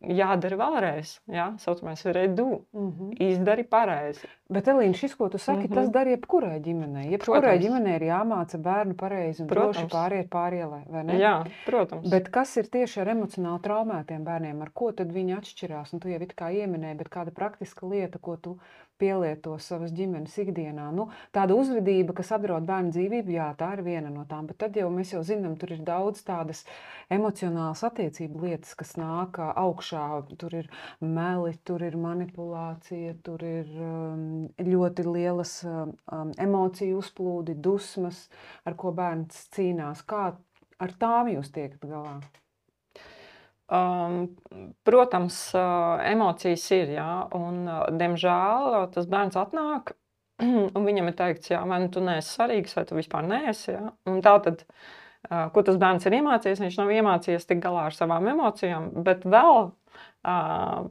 jādara vēlreiz, ja, saucamais redo, Mhm. izdari pareizi. Bet, Elīna, šis, ko tu saki, Mhm. tas dara jebkurai ģimenei. Jebkurai Protams. ģimenei ir jāmāca bērnu pareizi un droši Protams. pāriet pārielai, vai ne? Jā, protams. Bet kas ir tieši ar emocionāli traumētiem bērniem? Ar ko tad viņi atšķirās? Un tu jau it kā ieminēji, bet kāda praktiska lieta, ko tu pielieto savas ģimenes ikdienā? Nu, tāda uzvedība, kas apdraud bērnu dzīvību, jā, tā ir viena no tām. Bet tad jau mēs jau zinām, tur ir daudz tādas emocionālas attiecību lietas, kas nāk ā, augšā. Tur ir meli, tur ir manipulācija, tur ir um, ļoti lielas um, um, emociju uzplūdi, dusmas, ar ko bērns cīnās. Kā ar tām jūs tiekat galā? Um, protams, uh, emocijas ir, jā, un, uh, diemžēl, uh, tas bērns atnāk, un viņam ir teikts, jā, vai nu tu neesi svarīgs, vai tu vispār neesi, jā. Un tā tad, uh, ko tas bērns ir iemācījies, viņš nav iemācījies tik galā ar savām emocijām, bet vēl, uh,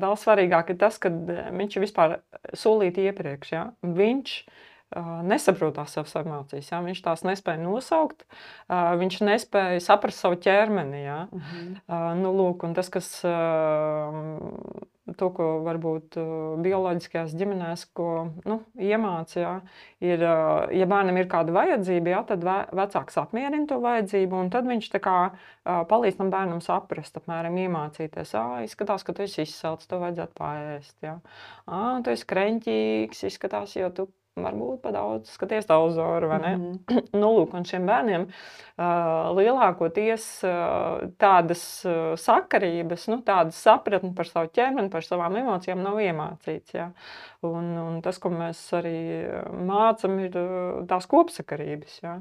vēl svarīgāk ir tas, ka viņš ir vispār solīt iepriekš, jā. Viņš Uh, nesaprot tās savas emocijas, jā. Viņš tās nespēja nosaukt, uh, viņš nespēja saprast savu ķermeni, jā. Mhm. Uh, nu, lūk, un tas, kas uh, to, ko varbūt uh, bioloģiskajās ģimenēs, ko nu, iemāca, jā, ir, uh, ja bērnam ir kāda vajadzība, jā, tad ve vecāks apmierina to vajadzību, un tad viņš tā kā uh, palīdz tam bērnam saprast, apmēram iemācīties, ā, izskatās, ka tu esi izsalcis, tev vajadzētu paēst, jā. Ā, tu esi kreņķīgs, izskatās, jo tu varbūt pa daudz skaties televizoru, vai ne? Mhm. Nu, lūk, un šiem bērniem uh, lielākoties uh, tādas uh, sakarības, nu, tādas sapratni par savu ķermeni, par savām emocijām nav iemācīts, jā. Un, un tas, ko mēs arī mācam, ir uh, tās kopsakarības, jā.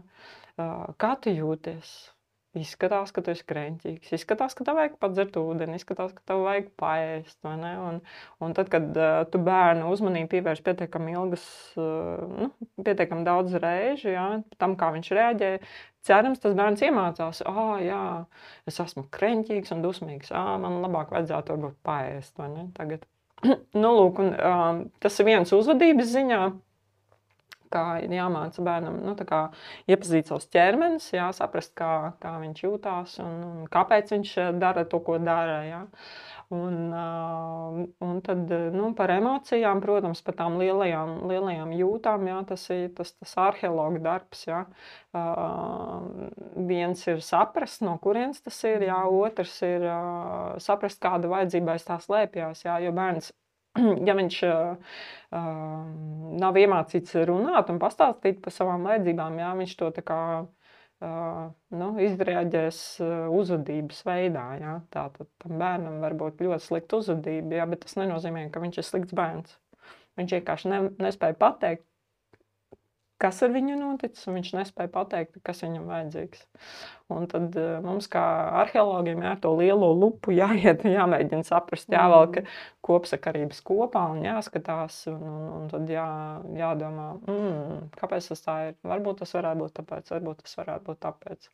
Uh, kā tu jūties? Izskatās, ka tu esi kreņķīgs, izskatās, ka tev vajag padzert ūdeni, izskatās, ka tev vajag paēst, vai ne? Un, un tad, kad uh, tu bērnu uzmanību pievērš pietiekami ilgas, uh, nu, pietiekami daudz reižu, jā, tam, kā viņš reaģē, cerams, tas bērns iemācās, ā, jā, es esmu kreņķīgs un dusmīgs, ā, man labāk vajadzētu varbūt paēst, vai ne, tagad. Nu, lūk, un um, tas ir viens uzvedības ziņā, kā ir jāmāca bērnam, nu, tā kā iepazīt savus ķermenis, jā, saprast, kā, kā viņš jūtās un, un kāpēc viņš dara to, ko dara, jā. Un, uh, un tad, nu, par emocijām, protams, par tām lielajām, lielajām jūtām, jā, tas ir tas, tas arheologa darbs, jā. Uh, viens ir saprast, no kurienes tas ir, jā, otrs ir uh, saprast, kāda vajadzība aiz tā slēpjās, jā, jo bērns, ja viņš uh, nav iemācīts runāt un pastāstīt par savām vajadzībām, jā, viņš to tā kā uh, nu, izreaģēs uh, uzvedības veidā. Jā. Tātad tam bērnam var būt ļoti slikta uzvedība, jā, bet tas nenozīmē, ka viņš ir slikts bērns. Viņš vienkārši ne, nespēja pateikt, kas ar viņu noticis, un viņš nespēja pateikt, kas viņam vajadzīgs. Un tad uh, mums kā arheologiem jā, to lielo lupu jāiet, jāmēģina saprast, jāvelk kopsakarības kopā un jāskatās, un, un, un tad jā, jādomā, mm, kāpēc tas tā ir. Varbūt tas varētu būt tāpēc, varbūt tas varētu būt tāpēc.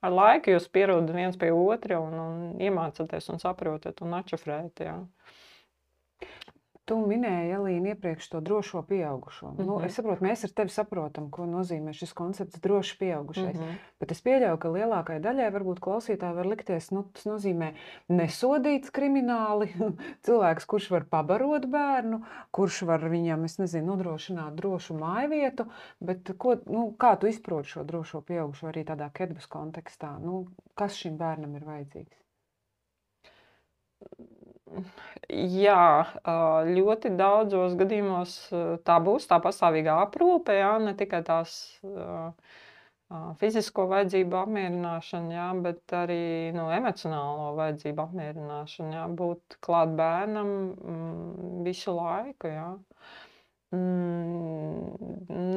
Ar laiku jūs pierodat viens pie otra un, un iemācaties un saprotat un atšifrējat, jā. Tu minēji, Elīna, iepriekš to drošo pieaugušo. Mm-hmm. Nu, es saprotu, mēs ar tevi saprotam, ko nozīmē šis koncepts droši pieaugušais. Mm-hmm. Bet es pieļauju, ka lielākai daļai varbūt klausītāji var likties, nu, tas nozīmē nesodīts krimināli, cilvēks, kurš var pabarot bērnu, kurš var viņam, es nezinu, nodrošināt drošu mājvietu, bet ko, nu, kā tu izproti šo drošo pieaugušo arī tādā kedbas kontekstā? Nu, kas šim bērnam ir vajadzīgs? Jā, ļoti daudzos gadījumos tā būs tā pastāvīgā aprūpe, jā, ne tikai tās fizisko vajadzību apmierināšana, jā, bet arī no emocionālo vajadzību apmierināšana, jā, būt klāt bērnam visu laiku, jā.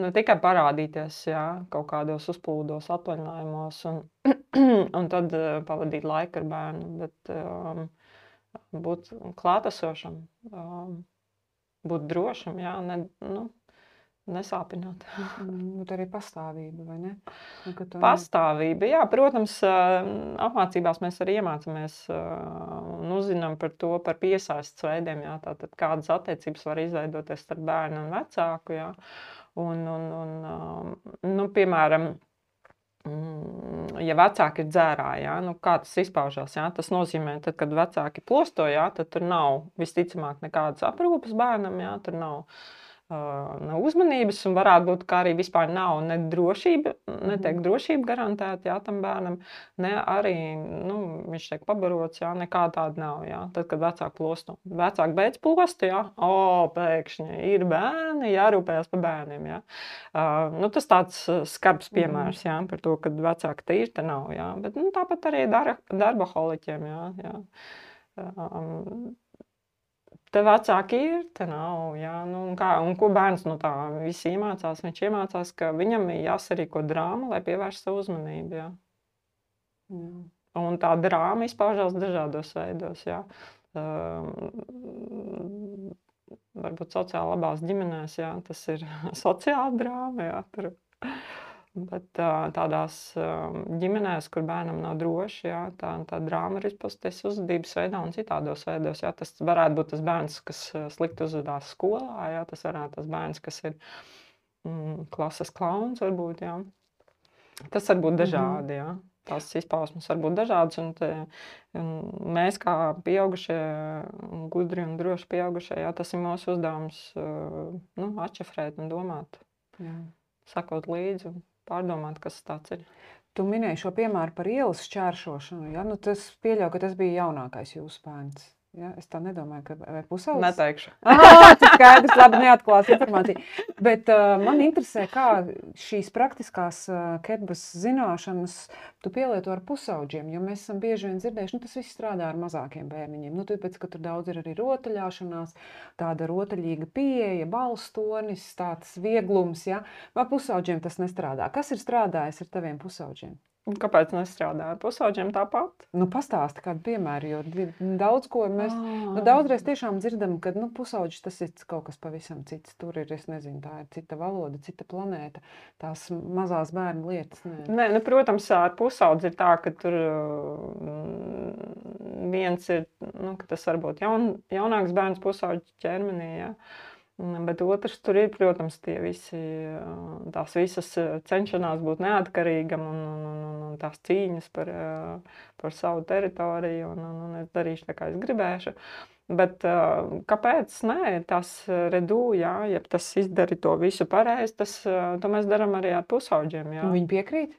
Ne tikai parādīties, jā, kaut kādos uzplūdos, atvaļinājumos un, un tad pavadīt laiku ar bērnu, bet um, būt klātesošam, um, būt drošam, jā, ne, nu, nesāpināt. Mm, bet arī pastāvība, vai ne? Nu, ka tu ne- Pastāvība, jā, protams, ā, apmācībās mēs arī iemācāmies ā, un uzzinām par to, par piesaistes veidiem, jā, tātad kādas attiecības var izveidoties starp bērnu un vecāku, jā. Un, un, un, ā, nu, piemēram, mm, ja vecāki ir dzērāji, jā, nu, kā tas izpaužās, jā, tas nozīmē, tad, kad vecāki plosto, jā, tad tur nav visticamāk nekādas aprūpes bērnam, jā, tur nav, uh, nav uzmanības un varētu būt, ka arī vispār nav ne drošība, netiek drošība garantēta, jā, tam bērnam, ne arī, nu, viņš tiek pabarots, jā, nekā tāda nav, jā, tad, kad vecāki plosto. Vecāki beidz plostu, jā, o, pēkšņi ir bērni, jārūpējas par bērniem, jā. Uh, nu, tas tāds uh, skarbs piemērs, jā, par to, kad vecāki tīri te nav, jā, bet, nu, tāpat arī dar, darbaholiķiem, jā, jā. Um, te vecāki ir, te nav, jā, nu, un, kā, un ko bērns no tā viss iemācās? Viņš iemācās, ka viņam ir jāsarīko drāma, lai pievērš savu uzmanību, jā. Jā. Un tā drāma izpaužās dažādos veidos, jā. Um, varbūt sociāli labās ģimenēs, jā, tas ir sociāla drāma, jā, tur. Bet ā, tādās um, ģimenēs, kur bērnam nav droši, jā, tā, tā drāma ir izpausties uzvedības veidā un citādos veidos, jā. Tas varētu būt tas bērns, kas ā, slikti uzvedās skolā, jā, tas varētu tas bērns, kas ir mm, klases klauns, varbūt, jā. Tas var būt dažādi, jā. Tās izpausmes var būt dažādas, un, te, un mēs kā pieaugušie, gudri un droši pieaugušie, jā, tas ir mūsu uzdevums uh, nu, atšifrēt un domāt, Jā. sakot līdzi un pārdomāt, kas tāds ir. Tu minēji šo piemēru par ielas šķēršošanu, ja? Nu, tas pieļauj, ka tas bija jaunākais jūsu bērns. Ja? Es tā nedomāju, ka vai pusaudzis? Neteikšu. Ah, tas skaidrs, labi, neatklās informāciju. Bet uh, man interesē, kā šīs praktiskās uh, ketbas zināšanas tu pielieto ar pusaudžiem, jo mēs esam bieži vien dzirdējuši, nu tas viss strādā ar mazākiem bērniņiem. Nu, tāpēc, ka tur daudz ir arī rotaļāšanās, tāda rotaļīga pieeja, balstonis, tāds vieglums, ja? Vai pusaudžiem tas nestrādā? Kas ir strādājis ar taviem pusaudžiem? Un kāpēc nestrādā ar pusaudžiem tāpat? Nu, pastāsti kādu piemēru, jo di- daudz ko mēs, Ah. nu, daudzreiz tiešām dzirdam, ka, nu, pusaudžis tas ir kaut kas pavisam cits. Tur ir, es nezinu, tā ir cita valoda, cita planēta, tās mazās bērnu lietas. Nē. Nē, nu, protams, ar pusaudzi ir tā, ka tur mm, viens ir, nu, ka tas varbūt jaun, jaunāks bērns pusaudža ķermenī, jā. Mm, Bet otrs tur ir, protams, tie visi, ā, tās visas ā, cenšanās būt neatkarīgam un, un, un, un, un tās cīņas par, ā, par savu teritoriju un, un, un es darīšu tā, kā es gribēšu. Bet ā, kāpēc? Nē, tas redū, jā, ja tas izdari to visu pareizi, tas, ā, to mēs darām arī ar pusaudžiem, jā. Viņi piekrīt?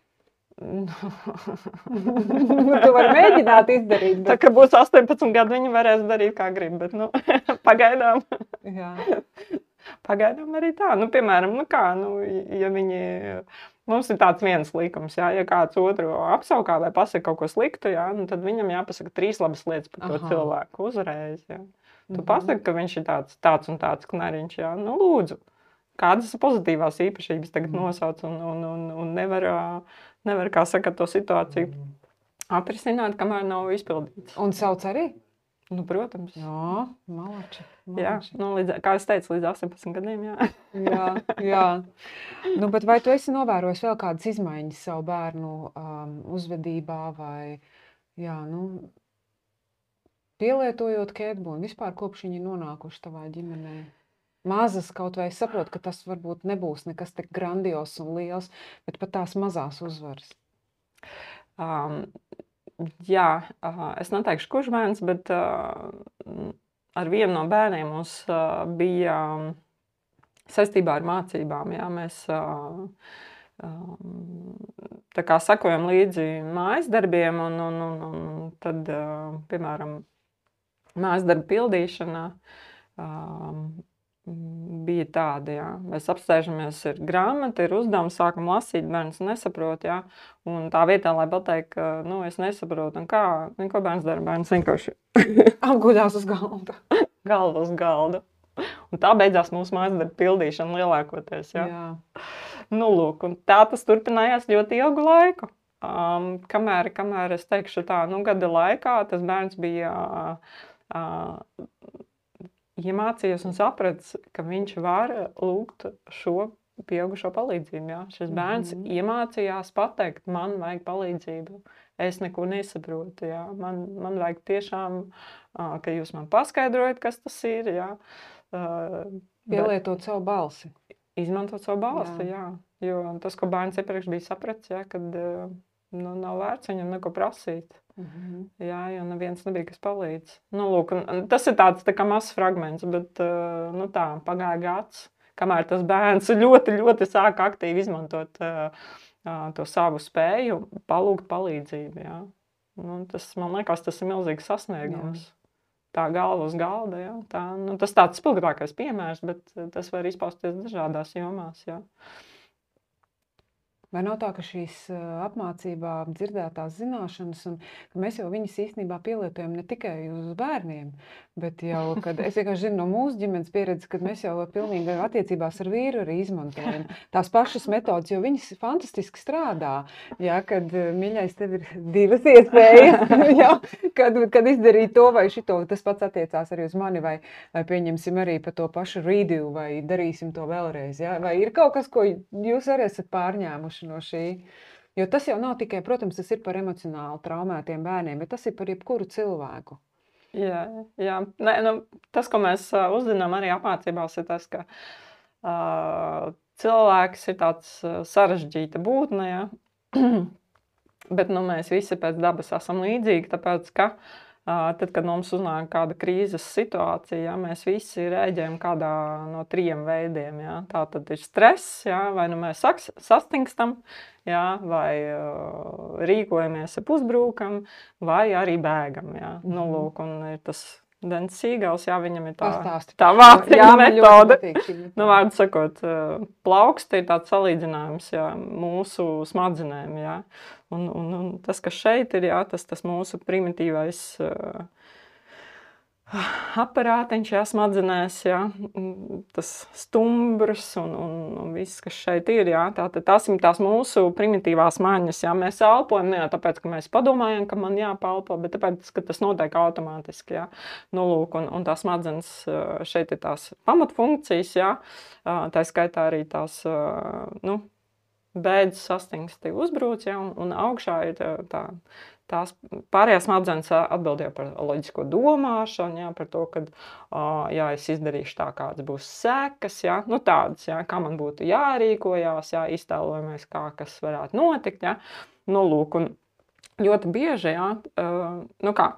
Tu vari mēģināt izdarīt, Tā bet... kā būs astoņpadsmit gadi, viņi varēs darīt, kā grib, bet, nu, pagaidām, Jā. pagaidām arī tā. Nu, piemēram, nu kā, nu, ja viņi, mums ir tāds viens likums, jā, ja kāds otru apsaukā vai pasaka kaut ko sliktu, jā, nu, tad viņam jāpasaka trīs labas lietas par to Aha. cilvēku uzreiz, jā. Tu Mhm. pasaki, ka viņš ir tāds, tāds un tāds knariņš, jā, nu, lūdzu. Kādas pozitīvās īpašības tagad nosauc un, un, un, un nevar, ā, nevar, kā saka, to situāciju atrisināt, kamēr nav izpildīts. Un sauc arī? Nu, protams. Jā, malači. Jā, malači. nu, līdz, kā es teicu, līdz astoņpadsmit gadiem, jā. Jā, jā. Nu, bet vai tu esi novērojis vēl kādas izmaiņas savu bērnu um, uzvedībā vai, jā, nu, pielietojot ketbu un vispār kopš viņi ir nonākuši tavā ģimenē? Mazas kaut vai es saprotu, ka tas varbūt nebūs nekas tik grandios un liels, bet pat tās mazās uzvaras. Um, jā, uh, es neteikšu, kurš bērns, bet uh, ar vienu no bērniem mums uh, bija um, saistībā ar mācībām. Jā, mēs uh, um, tā kā sakojam līdzi mājas darbiem, un, un, un, un tad, uh, piemēram, mājas darba pildīšana um, bija tāda, jā. Mēs apsēžamies, ir grāmata, ir uzdevums, sākam lasīt, bērns nesaprot, jā. Un tā vietā, lai pateikt, ka, nu, es nesaprotu, un kā, un ko bērns dara, bērns vienkārši Apguļās uz galda. galva uz galda. Un tā beidzās mūsu mājas darba pildīšana lielākoties, jā. Jā. Nu, lūk, un tā tas turpinājās ļoti ilgu laiku. Um, kamēr, kamēr es teikšu tā, nu, gada laikā tas bērns bija uh, uh, iemācījies un sapratis, ka viņš var lūgt šo pieaugušo palīdzību. Jā. Šis bērns mm-hmm. iemācījās pateikt, man vajag palīdzību. Es neko nesaprotu. Jā. Man, man vajag tiešām, ka jūs man paskaidrojat, kas tas ir. Jā. Pielietot savu balsi. Izmantot savu balsi, jā. jā. Jo tas, ko bērns iepriekš bija sapratis, jā, kad nu, nav vērts viņam neko prasīt. Mm-hmm. Jā, jo neviens nebija, kas palīdz. Nu, lūk, tas ir tāds tā kā mazs fragments, bet nu, tā, pagāja gads, kamēr tas bērns ļoti, ļoti sāka aktīvi izmantot uh, to savu spēju, palūgt palīdzību. Jā. Nu, tas, man liekas, tas ir milzīgs sasniegums. Jā. Tā galva uz galda, jā. Tā, nu, tas tāds spilgtākais piemērs, bet tas var izpausties dažādās jomās, jā. Vai nav tā, ka šīs apmācībā dzirdētās zināšanas, un ka mēs jau viņas īstenībā pielietojam ne tikai uz bērniem, bet jau, kad es vienkārši zinu no mūsu ģimenes pieredzes, kad mēs jau pilnīgi attiecībās ar vīru arī izmantojam tās pašas metodas, jo viņas fantastiski strādā, jā, kad, mīļais, tev ir divas iespējas, jā, kad, kad izdarīt to vai šito, tas pats attiecās arī uz mani, vai, vai pieņemsim arī par to pašu redo, vai darīsim to vēlreiz, jā, vai ir kaut kas, ko jūs arī esat pārņēmuši no šī. Jo tas jau nav tikai, protams, tas ir par emocionāli traumētiem bērniem, bet tas ir par jebkuru cilvēku. Jā, jā. Nē, nu, tas, ko mēs uh, uzzinām arī apmācībās, ir tas, ka uh, cilvēks ir tāds uh, sarežģīta būtne, jā. Bet nu, mēs visi pēc dabas esam līdzīgi, tāpēc, ka Uh, tad, kad mums uznāk kāda krīzes situācija, jā, mēs visi rēģējam kādā no trījiem veidiem. Jā. Tā tad ir stress, jā, vai nu mēs saks, sastingstam, jā, vai uh, rīkojamies ap uzbrūkam, vai arī bēgam. Jā. Mm-hmm. Nu, lūk, un ir tas Dens Sīgals, jā, viņam ir tā, tā vāciņa metode. Nu, vārdu sakot, plauksti ir tāds salīdzinājums, jā, mūsu smadzenēm, jā. Un, un, un tas, kas šeit ir, jā, tas, tas mūsu primitīvais uh, aparātiņš, jā, smadzenēs, jā, tas stumbrs un, un, un viss, kas šeit ir, jā, tā, tās ir tās mūsu primitīvās maņas, jā, mēs elpojam, ne jau tāpēc, ka mēs padomājam, ka man jāpalpo, bet tāpēc, ka tas notiek automātiski, jā, nu, lūk, un, un tās smadzenes šeit ir tās pamatfunkcijas, jā, tā skaitā arī tās, nu, bēdzas sastingsti uzbrūc, ja, un, un augšā ir tā, tā, tās pārējās smadzenes atbildēja par loģisko domāšanu, ja, par to, ka, ja es izdarīšu tā, kāds būs sekas, ja, nu tādas, ja, kā man būtu jārīkojās, ja, iztēlojamies, kā kas varētu notikt, ja, nu lūk, un ļoti bieži, ja, nu kā,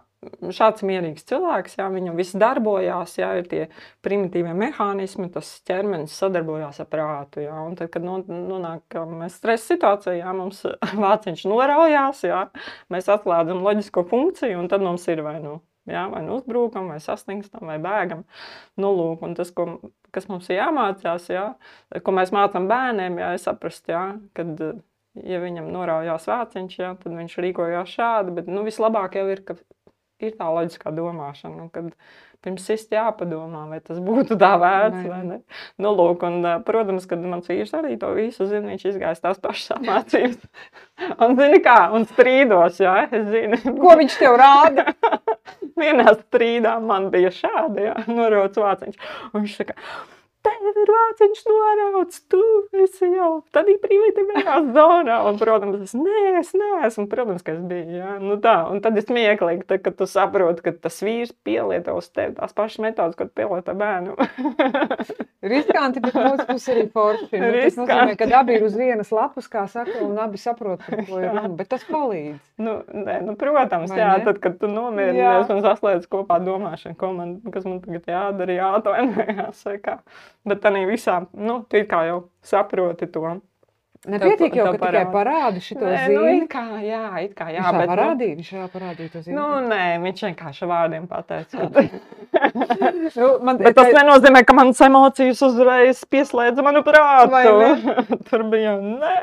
šāds mierīgs cilvēks, jā, viņam viss darbojās, jā, ir tie primitīvie mehānismi, tas ķermenis sadarbojās ar prātu, jā, un tad, kad nonāk mēs stresa situācijā, jā, mums vāciņš noraujās, jā, mēs atslēdzam loģisko funkciju, un tad mums ir vai nu, jā, vai nu uzbrūkam, vai sastingstam, vai bēgam, nu lūk, un tas, ko, kas mums ir jāmācās, jā, ko mēs mācam bērniem, jā, ir saprast, jā, kad, ja viņam noraujās vāciņš, jā, tad viņš rīkojās šādi, bet, nu, vislabāk jau ir, ka ir tā loģiskā domāšana, kad pirms sist jāpadomā, vai tas būtu tā vērts, vai ne. Nu, lūk, un, protams, kad mans vīrs arī to visu zina, viņš izgājis tās pašas apmācības. Un, zini kā, un strīdos, jā, es zinu. Ko viņš tev rāda? Vienā strīdā man bija šādi, jā, norauts vāciņš. Un viņš saka, tev ir vāciņš norauts, tu esi jau tādī primitīvajā zonā. Un, protams, es, nē, es neesmu, protams, ka es biju, jā. Nu tā, un tad ir smieklīgi, tad, kad tu saproti, ka tas vīrs pielieto uz tevi tās pašas metodas, kad pielieto bērnu. Riskanti, bet mūsu pusi arī forši. Nu, tas nozīmē, ka abi ir uz vienas lapas, kā saka, un abi saprot, par ko ir runa, bet tas palīdz. Nu, nē, nu, protams, vai jā, ne? Tad, kad tu nomierinies un saslēdz kopā domāšanu, ko man, kas man tagad jādara, jāatvainojās, vai kā. Bet tā visā, nu, tu kā jau saproti to. Nepietiek jau, ka tikai parādi šito nē, zīmi. Nu, it kā, jā, it kā, jā. Viņš bet, parādīja, viņš jau parādīja to zīmi. Nu, nē, viņš vienkārši vārdiem pateica. Ka... nu, man, bet tas nenozīmē, ka manas emocijas uzreiz pieslēdza manu prātu. Tur bija, nē.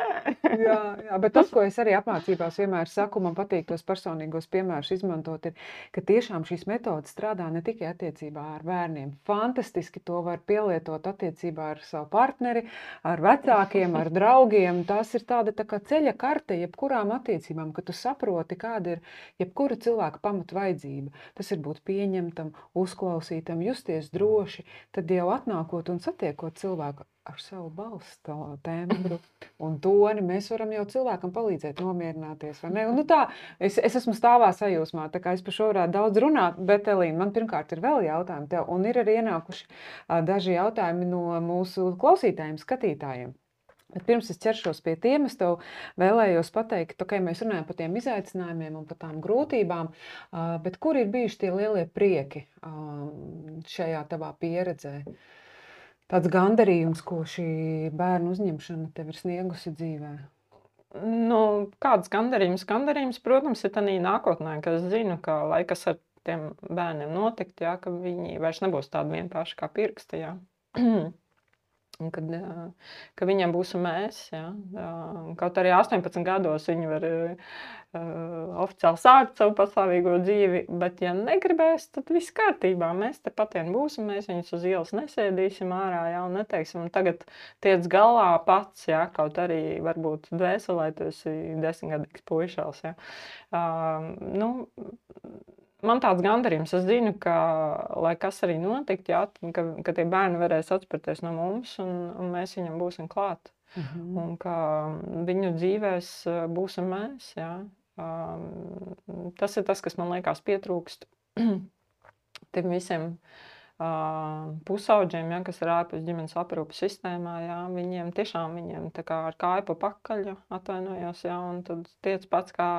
jā, jā, bet tas, ko es arī apmācībās vienmēr saku, man patīk tos personīgos piemērus izmantot, ir, ka tiešām šīs metodas strādā ne tikai attiecībā ar bērniem. Fantastiski to var pielietot attiecībā ar savu partneri, ar vecākiem, ar draugiem, gandarījumi, tās ir tāda tā kā ceļa karte jebkurām attiecībām, ka tu saproti, kāda ir jebkura cilvēka pamatu vajadzība. Tas ir būt pieņemtam, uzklausītam, justies droši, tad jau atnākot un satiekot cilvēku ar savu balstu tembru un toni, mēs varam jau cilvēkam palīdzēt nomierināties, vai ne? Un, nu tā, es, es esmu stāvā sajūsmā, tā kā es par šo varētu daudz runāt, bet, Elīna, man pirmkārt ir vēl jautājumi tev, un ir arī ienākuši a, daži jautājumi no mūsu klausītājiem, skatītājiem. Bet pirms es ķeršos pie tiem, es tev vēlējos pateikt, ka okay, mēs runājam par tiem izaicinājumiem un par tām grūtībām, a, bet kur ir bijuši tie lielie prieki a, šajā tavā pieredzē? Tāds gandarījums, ko šī bērnu uzņemšana tev ir sniegusi dzīvē? Nu, kāds gandarījums? Gandarījums, protams, ir tādā nākotnē, ka es zinu, ka lai kas ar tiem bērniem notikt, jā, ka viņi vairs nebūs tādi vienkārši kā pirksti, jā. Un kad, ka viņiem būs mēs, jā. Kaut arī astoņpadsmit gados viņi var uh, oficiāli sākt savu pastāvīgo dzīvi, bet ja negribēs, tad viss kārtībā. Mēs te patien būsim, mēs viņus uz ielas nesēdīsim ārā, jā, un neteiksim, un tagad tiec galā pats, jā, kaut arī varbūt dvēselē tu esi desmitgadīgs puišals, jā. Uh, nu, Man tāds gandarījums, es zinu, ka, lai kas arī notikt, jā, ka, ka tie bērni varēs atspērties no mums, un, un mēs viņam būsim klāt. Mhm. Un ka viņu dzīvēs būsim mēs, jā. Um, tas ir tas, kas man liekas pietrūkst tiem visiem uh, pusauģiem, jā, kas ir ārpus ģimenes aprūpes sistēmā, jā. Viņiem tiešām viņiem tā kā ar kāju pa pakaļ, atvainojos, jā, un tad tiec pats kā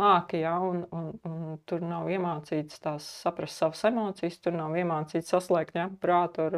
māki, jā, un, un, un tur nav iemācīts tās saprast savas emocijas, tur nav iemācīts saslēgt, jā, prātu ar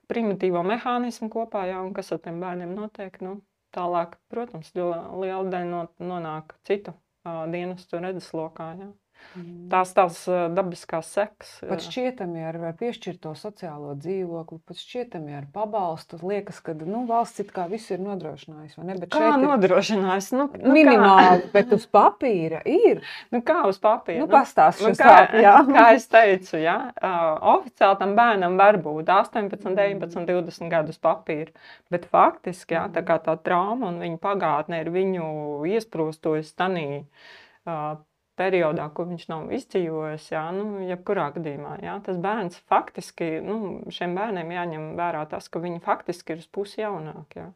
primitīvo mehānismu kopā, jā, un kas ar tiem bērniem notiek, nu, tālāk, protams, liela daļa nonāk citu uh, dienestu redzeslokā, jā. Mm. Tās tās dabiskās sekas. Pat šķietami ar, ar piešķirto sociālo dzīvokli, pat šķietami ar pabalstu. Liekas, ka nu, valsts it kā visu ir nodrošinājusi, vai ne? Bet kā nodrošinājusi? Nu, nu, minimāli, kā? Bet uz papīra ir. Nu kā uz papīra? Nu, pastāst nu, šo kā, sāp, jā. Kā es teicu, jā, uh, oficiāli tam bērnam var būt astoņpadsmit, deviņpadsmit, divdesmit gadus papīra, bet faktiski, jā, tā kā tā trauma un viņa pagātne ir viņu iesprūstojusi tanī uh, periodā, ko viņš nav izdzīvojis, jā, nu, jebkurā gadījumā, jā, tas bērns faktiski, nu, šiem bērniem jāņem vērā tas, ka viņi faktiski ir uz pusi jaunāk, jā.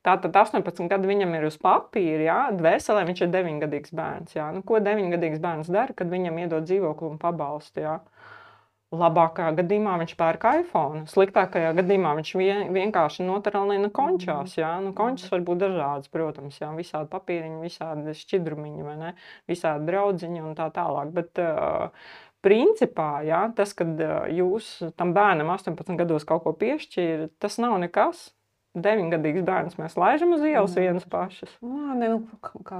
Tātad astoņpadsmit gadi viņam ir uz papīra, jā, dvēselē viņš ir deviņgadīgs bērns, jā. Nu, ko deviņgadīgs bērns dara, kad viņam iedod dzīvokli un pabalstu, jā? Labākajā gadījumā viņš pērk iPhone, sliktākajā gadījumā viņš vien, vienkārši notaralina končās, jā, nu končas var būt dažādas, protams, jā, visādi papīriņi, visādi šķidrumiņi, vai ne, visādi draudziņi un tā tālāk, bet uh, principā, jā, tas, kad uh, jūs tam bērnam astoņpadsmit gados kaut ko piešķīra, tas nav nekas. Deviņgadīgs bērns mēs laižam uz ielas vienas pašas. Jā, ne,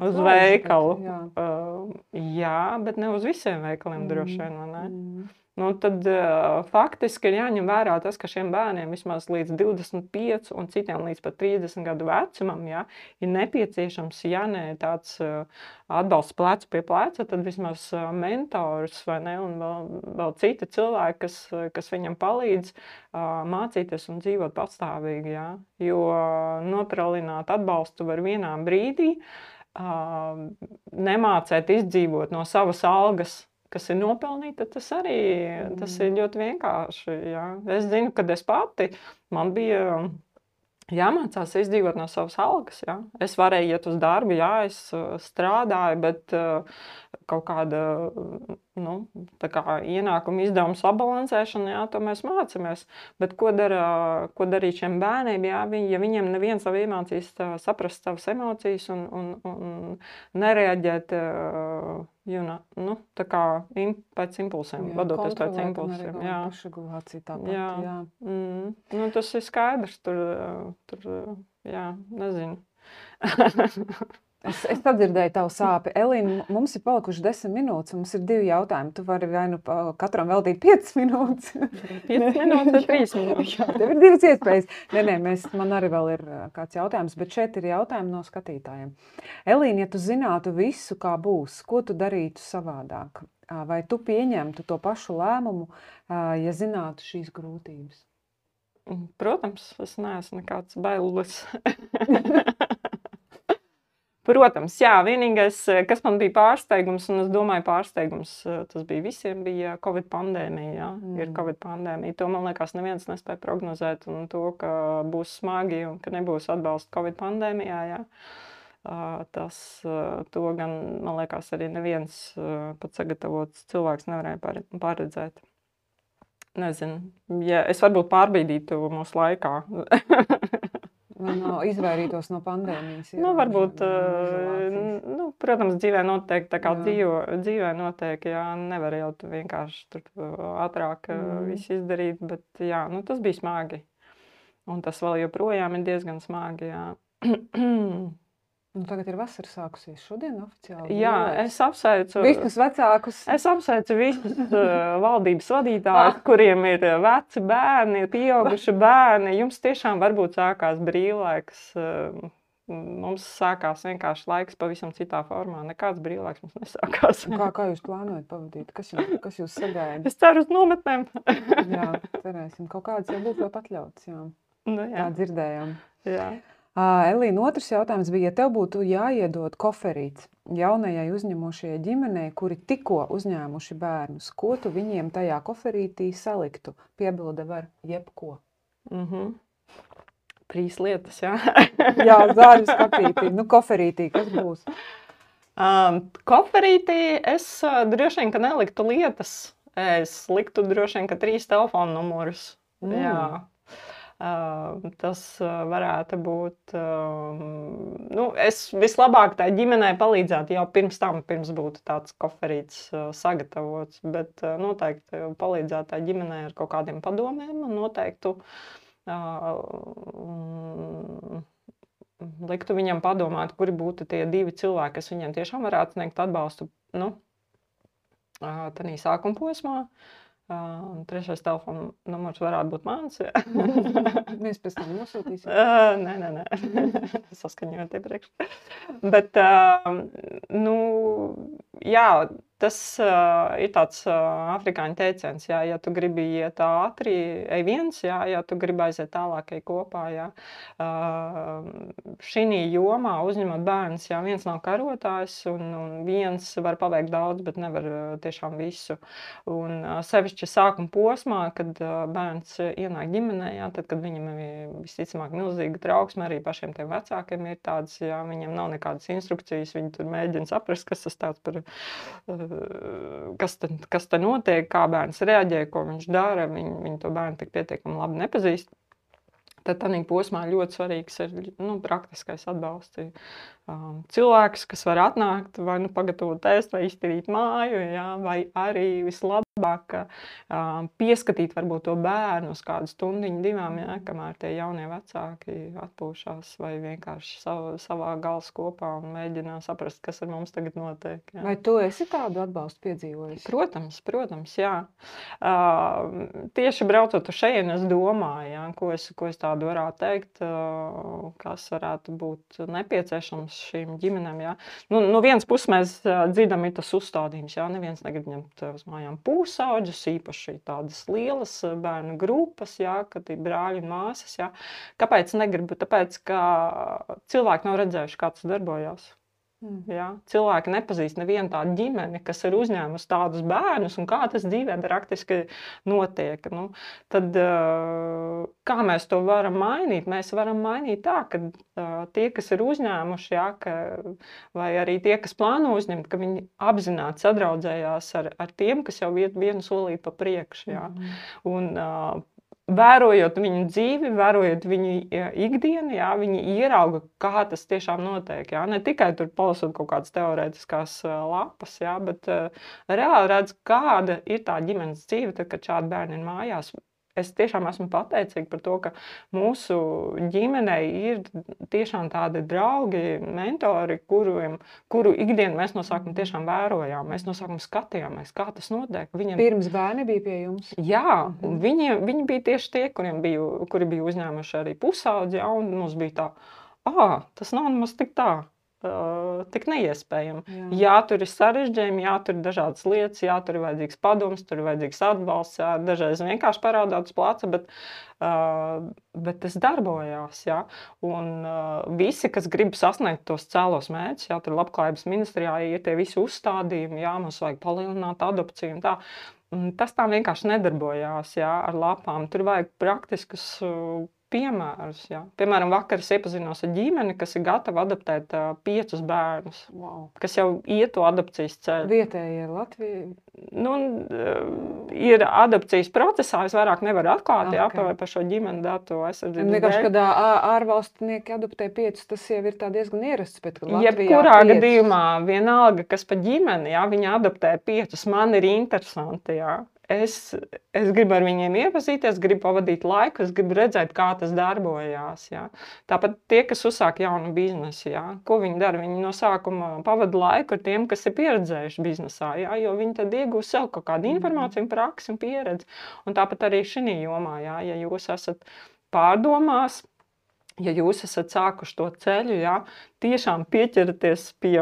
uz veikalu. Bet, jā. Uh, jā, bet ne uz visiem veikaliem mm. droši vien, vai ne? Mm. Nu, tad uh, faktiski ir jāņem vērā tas, ka šiem bērniem vismaz līdz divdesmit pieci un citiem līdz pat trīsdesmit gadu vecumam, jā, ir nepieciešams, ja ne tāds uh, atbalsts plecu pie pleca, tad vismaz uh, mentors vai ne, un vēl, vēl citi cilvēki, kas, kas viņam palīdz uh, mācīties un dzīvot patstāvīgi, jā. Jo uh, notralināt atbalstu var vienā brīdī, uh, nemācēt izdzīvot no savas algas, kas ir nopelnīta, tas arī tas ir ļoti vienkārši. Jā. Es zinu, kad es pati, man bija jāmācās izdzīvot no savas algas. Jā. Es varēju iet uz darbu, jā, es strādāju, bet kaut kāda nu, tā kā ienākuma izdevuma sabalansēšana, jā, to mēs mācāmies. Bet ko, dara, ko darīt šiem bērniem, jā, viņi, ja viņiem neviens nav iemācījis saprast savas emocijas un, un, un nereaģēt you know, nu, tā kā im, pēc impulsiem, jā, vadoties pēc impulsiem. Jā, pašregulācija tāpat, jā. jā. Mm, nu, tas ir skaidrs, tur, tur jā, nezinu. Es, es sadzirdēju tavu sāpi. Elīna, mums ir palikuši desmit minūtes, mums ir divi jautājumi. Tu vari vai nu katram veltīt piecas minūtes. piecas minūtes vai trīs minūtes. Jā, tev ir divas iespējas. Nē, nē, mēs, man arī vēl ir kāds jautājums, bet šeit ir jautājumi no skatītājiem. Elīna, ja tu zinātu visu, kā būs, ko tu darītu savādāk? Vai tu pieņemtu to pašu lēmumu, ja zinātu šīs grūtības? Protams, es neesmu nekāds bailis. Protams, jā, vienīgais, kas man bija pārsteigums, un es domāju, pārsteigums tas bija visiem, bija Covid pandēmija. Jā. Mm. Ir Covid pandēmija. To, man liekas, neviens nespēja prognozēt, un to, ka būs smagi un ka nebūs atbalsta Covid pandēmijā. Jā. Tas, to gan, man liekas, arī neviens pat sagatavots cilvēks nevarēja paredzēt. Nezinu, ja es varbūt pārbīdītu mūsu laikā. No, izvairītos no pandēmijas. Jā, nu, varbūt, uh, nu, protams, dzīvē noteikti, tā kā dzīvo, dzīvē noteikti, jā, nevar jau vienkārši tur ātrāk mm. visu izdarīt, bet jā, nu, tas bija smagi. Un tas vēl joprojām ir diezgan smagi, jā. Nu, tagad ir vasara sākusies šodien oficiāli. Jā, es apsveicu visus vecākus. Es apsveicu visus uh, valdības vadītājus, kuriem ir veci bērni, pieauguši bērni. Jums tiešām varbūt sākās brīvlaiks. Uh, mums sākās vienkārši laiks pavisam citā formā. Nekāds brīvlaiks mums nesākās. Kā, kā jūs plānojat pavadīt? Kas jūs, kas jūs sagaida? Es ceru uz nometnēm. Jā, cerēsim. Kaut kādas jau būtu vēl atļauts. Jā. Nu, jā. Tā dzirdējām. Jā. Elīna, otrs jautājums bija, ja tev būtu jāiedod koferīts jaunajai uzņemošajai ģimenei, kuri tikko uzņēmuši bērnus, ko tu viņiem tajā koferītī saliktu? Piebilde var jebko. Mhm. Trīs lietas, jā. Jā, zāļu skapītī. Nu, koferītī, kas būs? Um, koferītī es uh, droši vien, ka neliktu lietas. Es liktu droši vien, ka trīs telefonu numurus. Mm. Jā. Uh, tas uh, varētu būt, uh, nu, es vislabāk tai ģimenei palīdzētu jau pirms tam, pirms būtu tāds koferīts uh, sagatavots, bet uh, noteikti palīdzētu tai ģimenei ar kaut kādiem padomiem un noteiktu uh, um, liktu viņam padomāt, kuri būtu tie divi cilvēki, kas viņiem tiešām varētu sniegt atbalstu, nu, uh, tādā sākuma posmā. Uh, trešais telefona numurs varētu būt mans. Mēs pēc tam nosūtīsim. Uh, nē, nē, nē. Saskaņot iepriekš. Bet, uh, nu, jā, tas uh, ir tāds uh, afrikāņu teiciens, jā, ja tu gribi iet ātri, ej viens, jā, ja tu gribi aiziet tālāk, ej kopā, jā. Uh, šī jomā uzņemot bērnus, jā, viens nav karotājs, un, un viens var paveikt daudz, bet nevar uh, tiešām visu. Un uh, sevišķi sākuma posmā, kad uh, bērns ienāk ģimenē, jā, tad, kad viņam ir visticamāk milzīga trauksme, arī pašiem tiem vecākiem ir tāds, jā, viņiem nav nekādas instrukcijas, viņi tur mēģina saprast, kas tas tāds par... Uh, Kas te, kas te notiek, kā bērns reaģē, ko viņš dara, viņi, viņi to bērnu tik pietiekami labi nepazīst. Tad tādā posmā ļoti svarīgs ir nu, praktiskais atbalsts. Um, cilvēks, kas var atnākt, vai nu pagatavot ēst, vai iztīrīt māju, jā, vai arī vislabāk um, pieskatīt varbūt to bērnu uz kādu stundiņu, divām, jā, kamēr tie jaunie vecāki atpūšās vai vienkārši sav, savā galvas kopā un mēģina saprast, kas ar mums tagad notiek. Jā. Vai tu esi tādu atbalstu piedzīvojis? Protams, protams, jā. Uh, tieši braucot uz šejienu, es domāju, jā, ko es, ko es tādu varētu teikt, uh, kas varētu būt nepieciešams šīm ģimenēm, jā. Nu, no vienas puses mēs uh, dzirdam, ir tas uzstādījums, jā, neviens negrib ņemt uz mājām pūsaudžus, īpaši tādas lielas bērnu grupas, jā, kad ir brāļi un māsas, jā. Kāpēc negribu? Tāpēc, ka cilvēki nav redzējuši, kā tas darbojās. Mm. Jā, cilvēki nepazīst nevienu tādu ģimeni, kas ir uzņēmusi tādus bērnus un kā tas dzīvē praktiski notiek. Nu, tad, kā mēs to varam mainīt? Mēs varam mainīt tā, ka tie, kas ir uzņēmuši, jā, ka, vai arī tie, kas plāno uzņemt, ka viņi apzināti sadraudzējās ar, ar tiem, kas jau iet vienu solīti pa priekšu. Jā. Mm. Un, vērojot viņu dzīvi, vērojot viņu ikdienu, jā, viņi ierauga, kā tas tiešām notiek. Jā. Ne tikai tur palasot kaut kādas teorētiskās lapas, jā, bet uh, reāli redz, kāda ir tā ģimenes dzīve, tad, kad šādi bērni ir mājās. Es tiešām esmu pateicīga par to, ka mūsu ģimenei ir tiešām tādi draugi, mentori, kuriem, kuru ikdienu mēs no sākuma tiešām vērojām. Mēs no sākuma skatījāmies, kā tas notiek. Viņiem... Pirms bērni bija pie jums? Jā, un viņi, viņi bija tieši tie, kuriem bija, kuri bija uzņēmuši arī pusaudzi, jā, un mums bija tā, ā, tas nav nemaz tik tā. uh, tik neiespējami. Jā. Jā, tur ir sarežģījumi, jā, tur ir dažādas lietas, jā, tur ir vajadzīgs padoms, tur ir vajadzīgs atbalsts, jā, dažreiz vienkārši parādāt uz placa, bet, uh, bet tas darbojās, jā. Un uh, visi, kas grib sasniegt tos cēlos mērķus, jā, tur labklājības ministrijā ir tie visi uzstādījumi, jā, mums vajag palielināt adopciju un tā. Tas tā vienkārši nedarbojās, jā, ar lapām. Tur vajag praktiskus uh, piemērus, jā. Piemēram, vakar es iepazinos ar ģimeni, kas ir gatava adoptēt uh, piecus bērnus, Wow. kas jau iet to adopcijas ceļu. Vietējie Latvija. Nu, uh, ir adopcijas procesā, es vairāk nevaru atklāt, jā, Ok. par, par šo ģimeni datu aizsardzības Vienkārši, dēļ. kad ā- ārvalstnieki adoptē piecus, tas jau ir tā diezgan ierasts, bet kad Latvijā Jebkurā piecus- gadījumā, vienalga, kas pa ģimeni, jā, viņi adoptē piecus, man ir interesanti, jā. Es, es gribu ar viņiem iepazīties, gribu pavadīt laiku, es gribu redzēt, kā tas darbojās, jā. Tāpat tie, kas uzsāk jaunu biznesu, jā, ko viņi dara? Viņi no sākuma pavada laiku ar tiem, kas ir pieredzējuši biznesā, jā, jo viņi tad iegūs sev kaut kādu informāciju, praksi un pieredzi. Un tāpat arī šī jomā, jā, ja jūs esat pārdomās, ja jūs esat sākuši to ceļu, jā, tiešām pieķeraties pie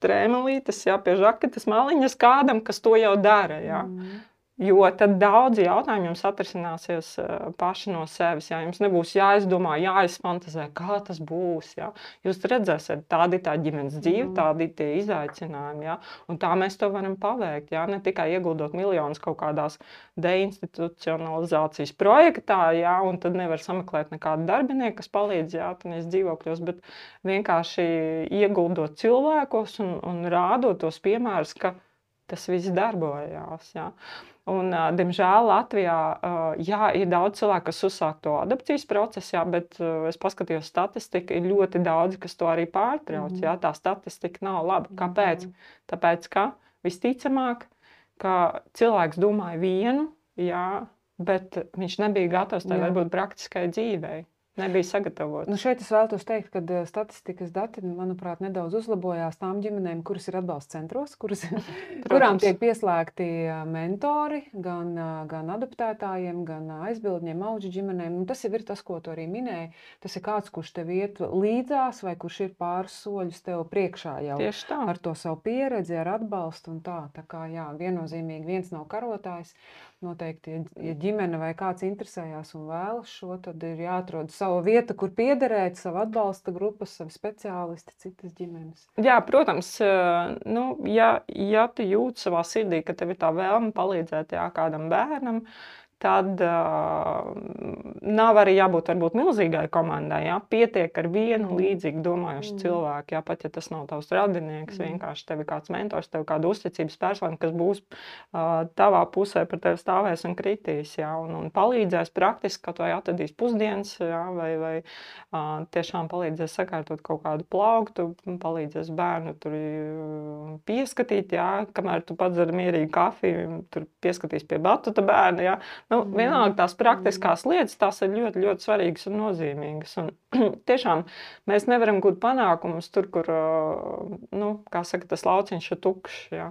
strēmelītes, jā, pie žaketes maliņas kādam, kas to jau dara, jā. Mm. Jo tad daudzi jautājumi jums atrisināsies uh, paši no sevis, jā. Jums nebūs jāizdomā, jāizfantazē, kā tas būs, jā. Jūs redzēsiet, tādi tā ģimenes dzīve, Mm. tādi tie izaicinājumi, jā. Un tā mēs to varam paveikt, jā. Ne tikai ieguldot miljonus kaut kādās deinstitucionalizācijas projektā, jā, un tad nevar sameklēt nekādu darbinieku, kas palīdz, jā, tādās dzīvokļos, bet vienkārši ieguldot cilvēkos un, un rādot tos piemērus, ka tas viss darbojās, jā. Un, ā, diemžēl Latvijā, ā, jā, ir daudz cilvēku, kas uzsāk to adopcijas procesu, jā, bet ā, es paskatījos statistiku, ir ļoti daudz, kas to arī pārtrauc, Mhm. jā, tā statistika nav laba. Kāpēc? Tāpēc, ka visticamāk, ka cilvēks domāja vienu, jā, bet viņš nebija gatavs tai Jā. varbūt praktiskai dzīvei. Nebija sagatavots. Nu šeit es vēlos teikt, ka eh, statistikas dati, manuprāt, nedaudz uzlabojās tām ģimenēm, kuras ir atbalsta centros, kuras, kurām tiek pieslēgti eh, mentori gan, eh, gan adoptētājiem, gan eh, aizbildņiem, auģu ģimenēm. Un tas jau ir tas, ko tu arī minēji. Tas ir kāds, kurš tev iet līdzās vai kurš ir pāris soļus tev priekšā jau Tieši tā. ar to savu pieredzi, ar atbalstu un tā. Tā kā jā, viennozīmīgi viens nav karotājs. Noteikti, ja, ja ģimene vai kāds interesējās un vēlas šo, tad ir jāatrod savu vietu, kur piederēt, savu atbalsta grupas, savu speciālisti, citas ģimenes. Jā, protams, ā, nu, ja, ja tu jūti savā sirdī, ka tev ir tā vēlme palīdzēt, jā, kādam bērnam, tad uh, nav arī jābūt varbūt milzīgai komandai, jā. Pietiek ar vienu Mm. līdzīgi domājušu Mm. cilvēku, jā, pat ja tas nav tavs radinieks, Mm. vienkārši tev ir kāds mentors, tev ir kāda uzticības persona, kas būs uh, tavā pusē par tevi stāvēs un kritīs, jā, un, un palīdzēs praktiski, kaut vai atradīs pusdienas, jā, vai, vai uh, tiešām palīdzēs sakārtot kaut kādu plauktu, palīdzēs bērnu tur uh, pieskatīt, jā, kamēr tu pats dari mierīgi kafiju, tur pieskatīs pie batuta bērna, jā. Nu, Mm. vienalga tās praktiskās lietas, tās ir ļoti, ļoti svarīgas un nozīmīgas. Un tiešām mēs nevaram gūt panākumus tur, kur, ā, nu, kā saka, tas lauciņš ir tukšs, jā.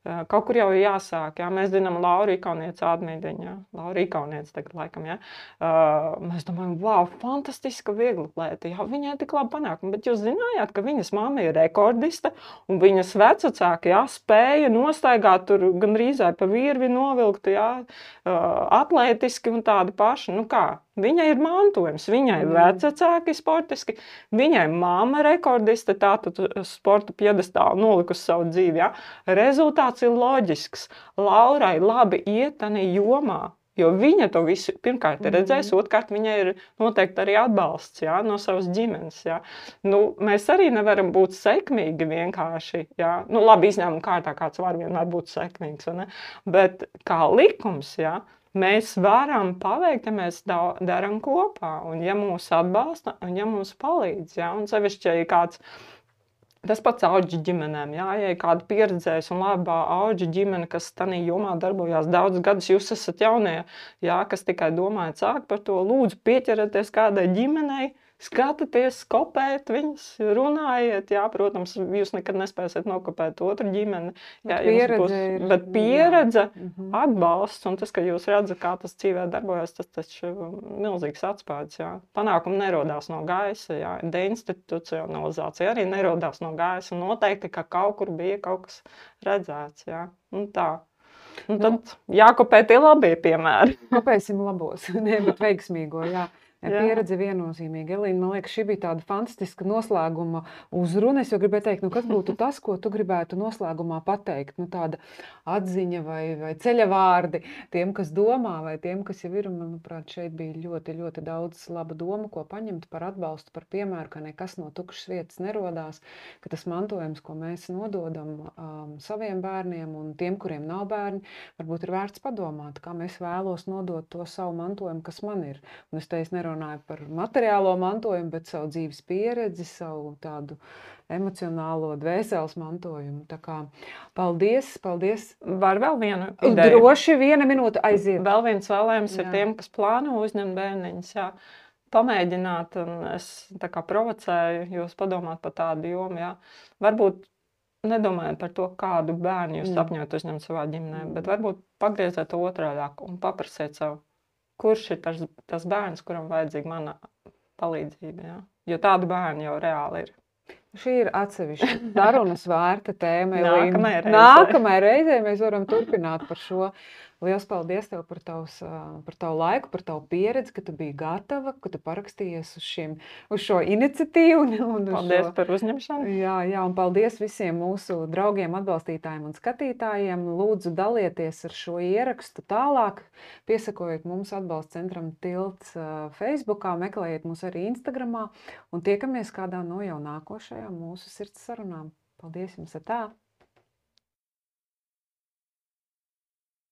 Ā, Kaut kur jau ir jāsāk, jā. Mēs zinām Lauru Ikaunieci Ādmīdiņu, jā. Laura Ikaunieci tagad laikam, jā. Ā, Mēs domājam, wow, fantastiska vieglatlēte, jā, viņai tik labi panākumi, bet jūs zinājāt, ka viņas mamma ir rekordiste, un viņas vecāki, jā, spēja nostaigāt tur gandrīzai pa virvi novilkt, jā, ā, atlētiski un tādi paši, nu kā, viņai ir mantojums, viņai Mm. vecāki sportiski, viņai mamma rekordiste, tātad sporta piedestālu nolikusi savu dzīvi, jā. Rezultāts ir loģisks. Laurai labi iet tanī jomā, jo viņa to visu pirmkārt ir redzējusi, otrkārt viņai ir noteikti arī atbalsts, jā, no savas ģimenes, jā. Nu, mēs arī nevaram būt sekmīgi vienkārši, jā. Nu, labi, izņēmuma kārtā kāds var vienmēr būt sekmīgs, vai ne? Bet kā likums, jā, mēs varam paveikt, ja mēs da- daram kopā, un ja mūs atbalsta, un ja mums palīdz, jā, un sevišķi, ja ir kāds, tas pats auģu ģimenēm, jā, ja ir kāda pieredzējusi un labā auģu ģimene, kas tanī jomā darbojās daudz gadus, jūs esat jaunie, jā, kas tikai domājat sākt par to, lūdzu pieķerieties kādai ģimenei, skatieties, kopēt viņus, runājiet. Jā, protams, jūs nekad nespēsiet nokopēt otru ģimeni. Jā, Bet jums pieredze būs, ir, bet jā. pieredze, Mhm. atbalsts un tas, ka jūs redzat, kā tas dzīvē darbojas, tas taču milzīgs atspējas. Jā. Panākumi nerodās no gaisa, jā. Deinstitucionalizācija arī nerodās no gaisa. Un noteikti, ka kaut kur bija kaut kas redzēts. Jā. Un tā. Un Nu, tad jākopē tie labie piemēri. Kopēsim labos, ne, bet veiksmīgo, jā. Jā. Pieredze viennozīmīgi. Elīna, man liekas, šī bija tāda fantastiska noslēguma uzruna. Es jau gribēju teikt, nu kas būtu tas, ko tu gribētu noslēgumā pateikt? Nu tāda atziņa vai, vai ceļa vārdi tiem, kas domā, vai tiem, kas jau ir. Manuprāt, šeit bija ļoti, ļoti daudz laba doma, ko paņemt par atbalstu, par piemēru, ka nekas no tukšas vietas nerodās, ka tas mantojums, ko mēs nododam um, saviem bērniem un tiem, kuriem nav bērni, varbūt ir vērts padomāt, kā mēs vēlos nodot to savu mantojumu, kas man ir. Un es teicu, nerunāju par materiālo mantojumu, bet savu dzīves pieredzi, savu tādu emocionālo dvēseles mantojumu. Tā kā paldies, paldies. Var vēl vienu ideju? Droši viena minūte aiziet. Vēl viens vēlējums ir Jā. tiem, kas plāno uzņemt bērniņus. Jā. Pamēģināt, un es tā kā provocēju jūs padomāt par tādu jomu. Jā. Varbūt nedomājot par to, kādu bērnu jūs Mm. sapņojat uzņemt savā ģimenē, bet varbūt pagrieziet to otrādāk un paprasiet sev, kurš ir tas, tas bērns, kuram vajadzīga mana palīdzība. Jā? Jo tādu bērnu jau reāli ir. Šī ir atsevišķa sarunas vērta tēma. Elīna. Nākamajai reizei. Nākamajai reizei mēs varam turpināt par šo. Liels paldies tev par, tavs, par tavu laiku, par tavu pieredzi, ka tu biji gatava, ka tu parakstījies uz, šim, uz šo iniciatīvu. Un, un uz Paldies šo... par uzņemšanu. Jā, jā, un paldies visiem mūsu draugiem, atbalstītājiem un skatītājiem. Lūdzu, dalieties ar šo ierakstu tālāk. Piesakojiet mums atbalsta centram Tilts Facebookā, meklējiet mūs arī Instagramā un tiekamies kādā no jau nākošajām mūsu sirds sarunām. Paldies jums! Tā!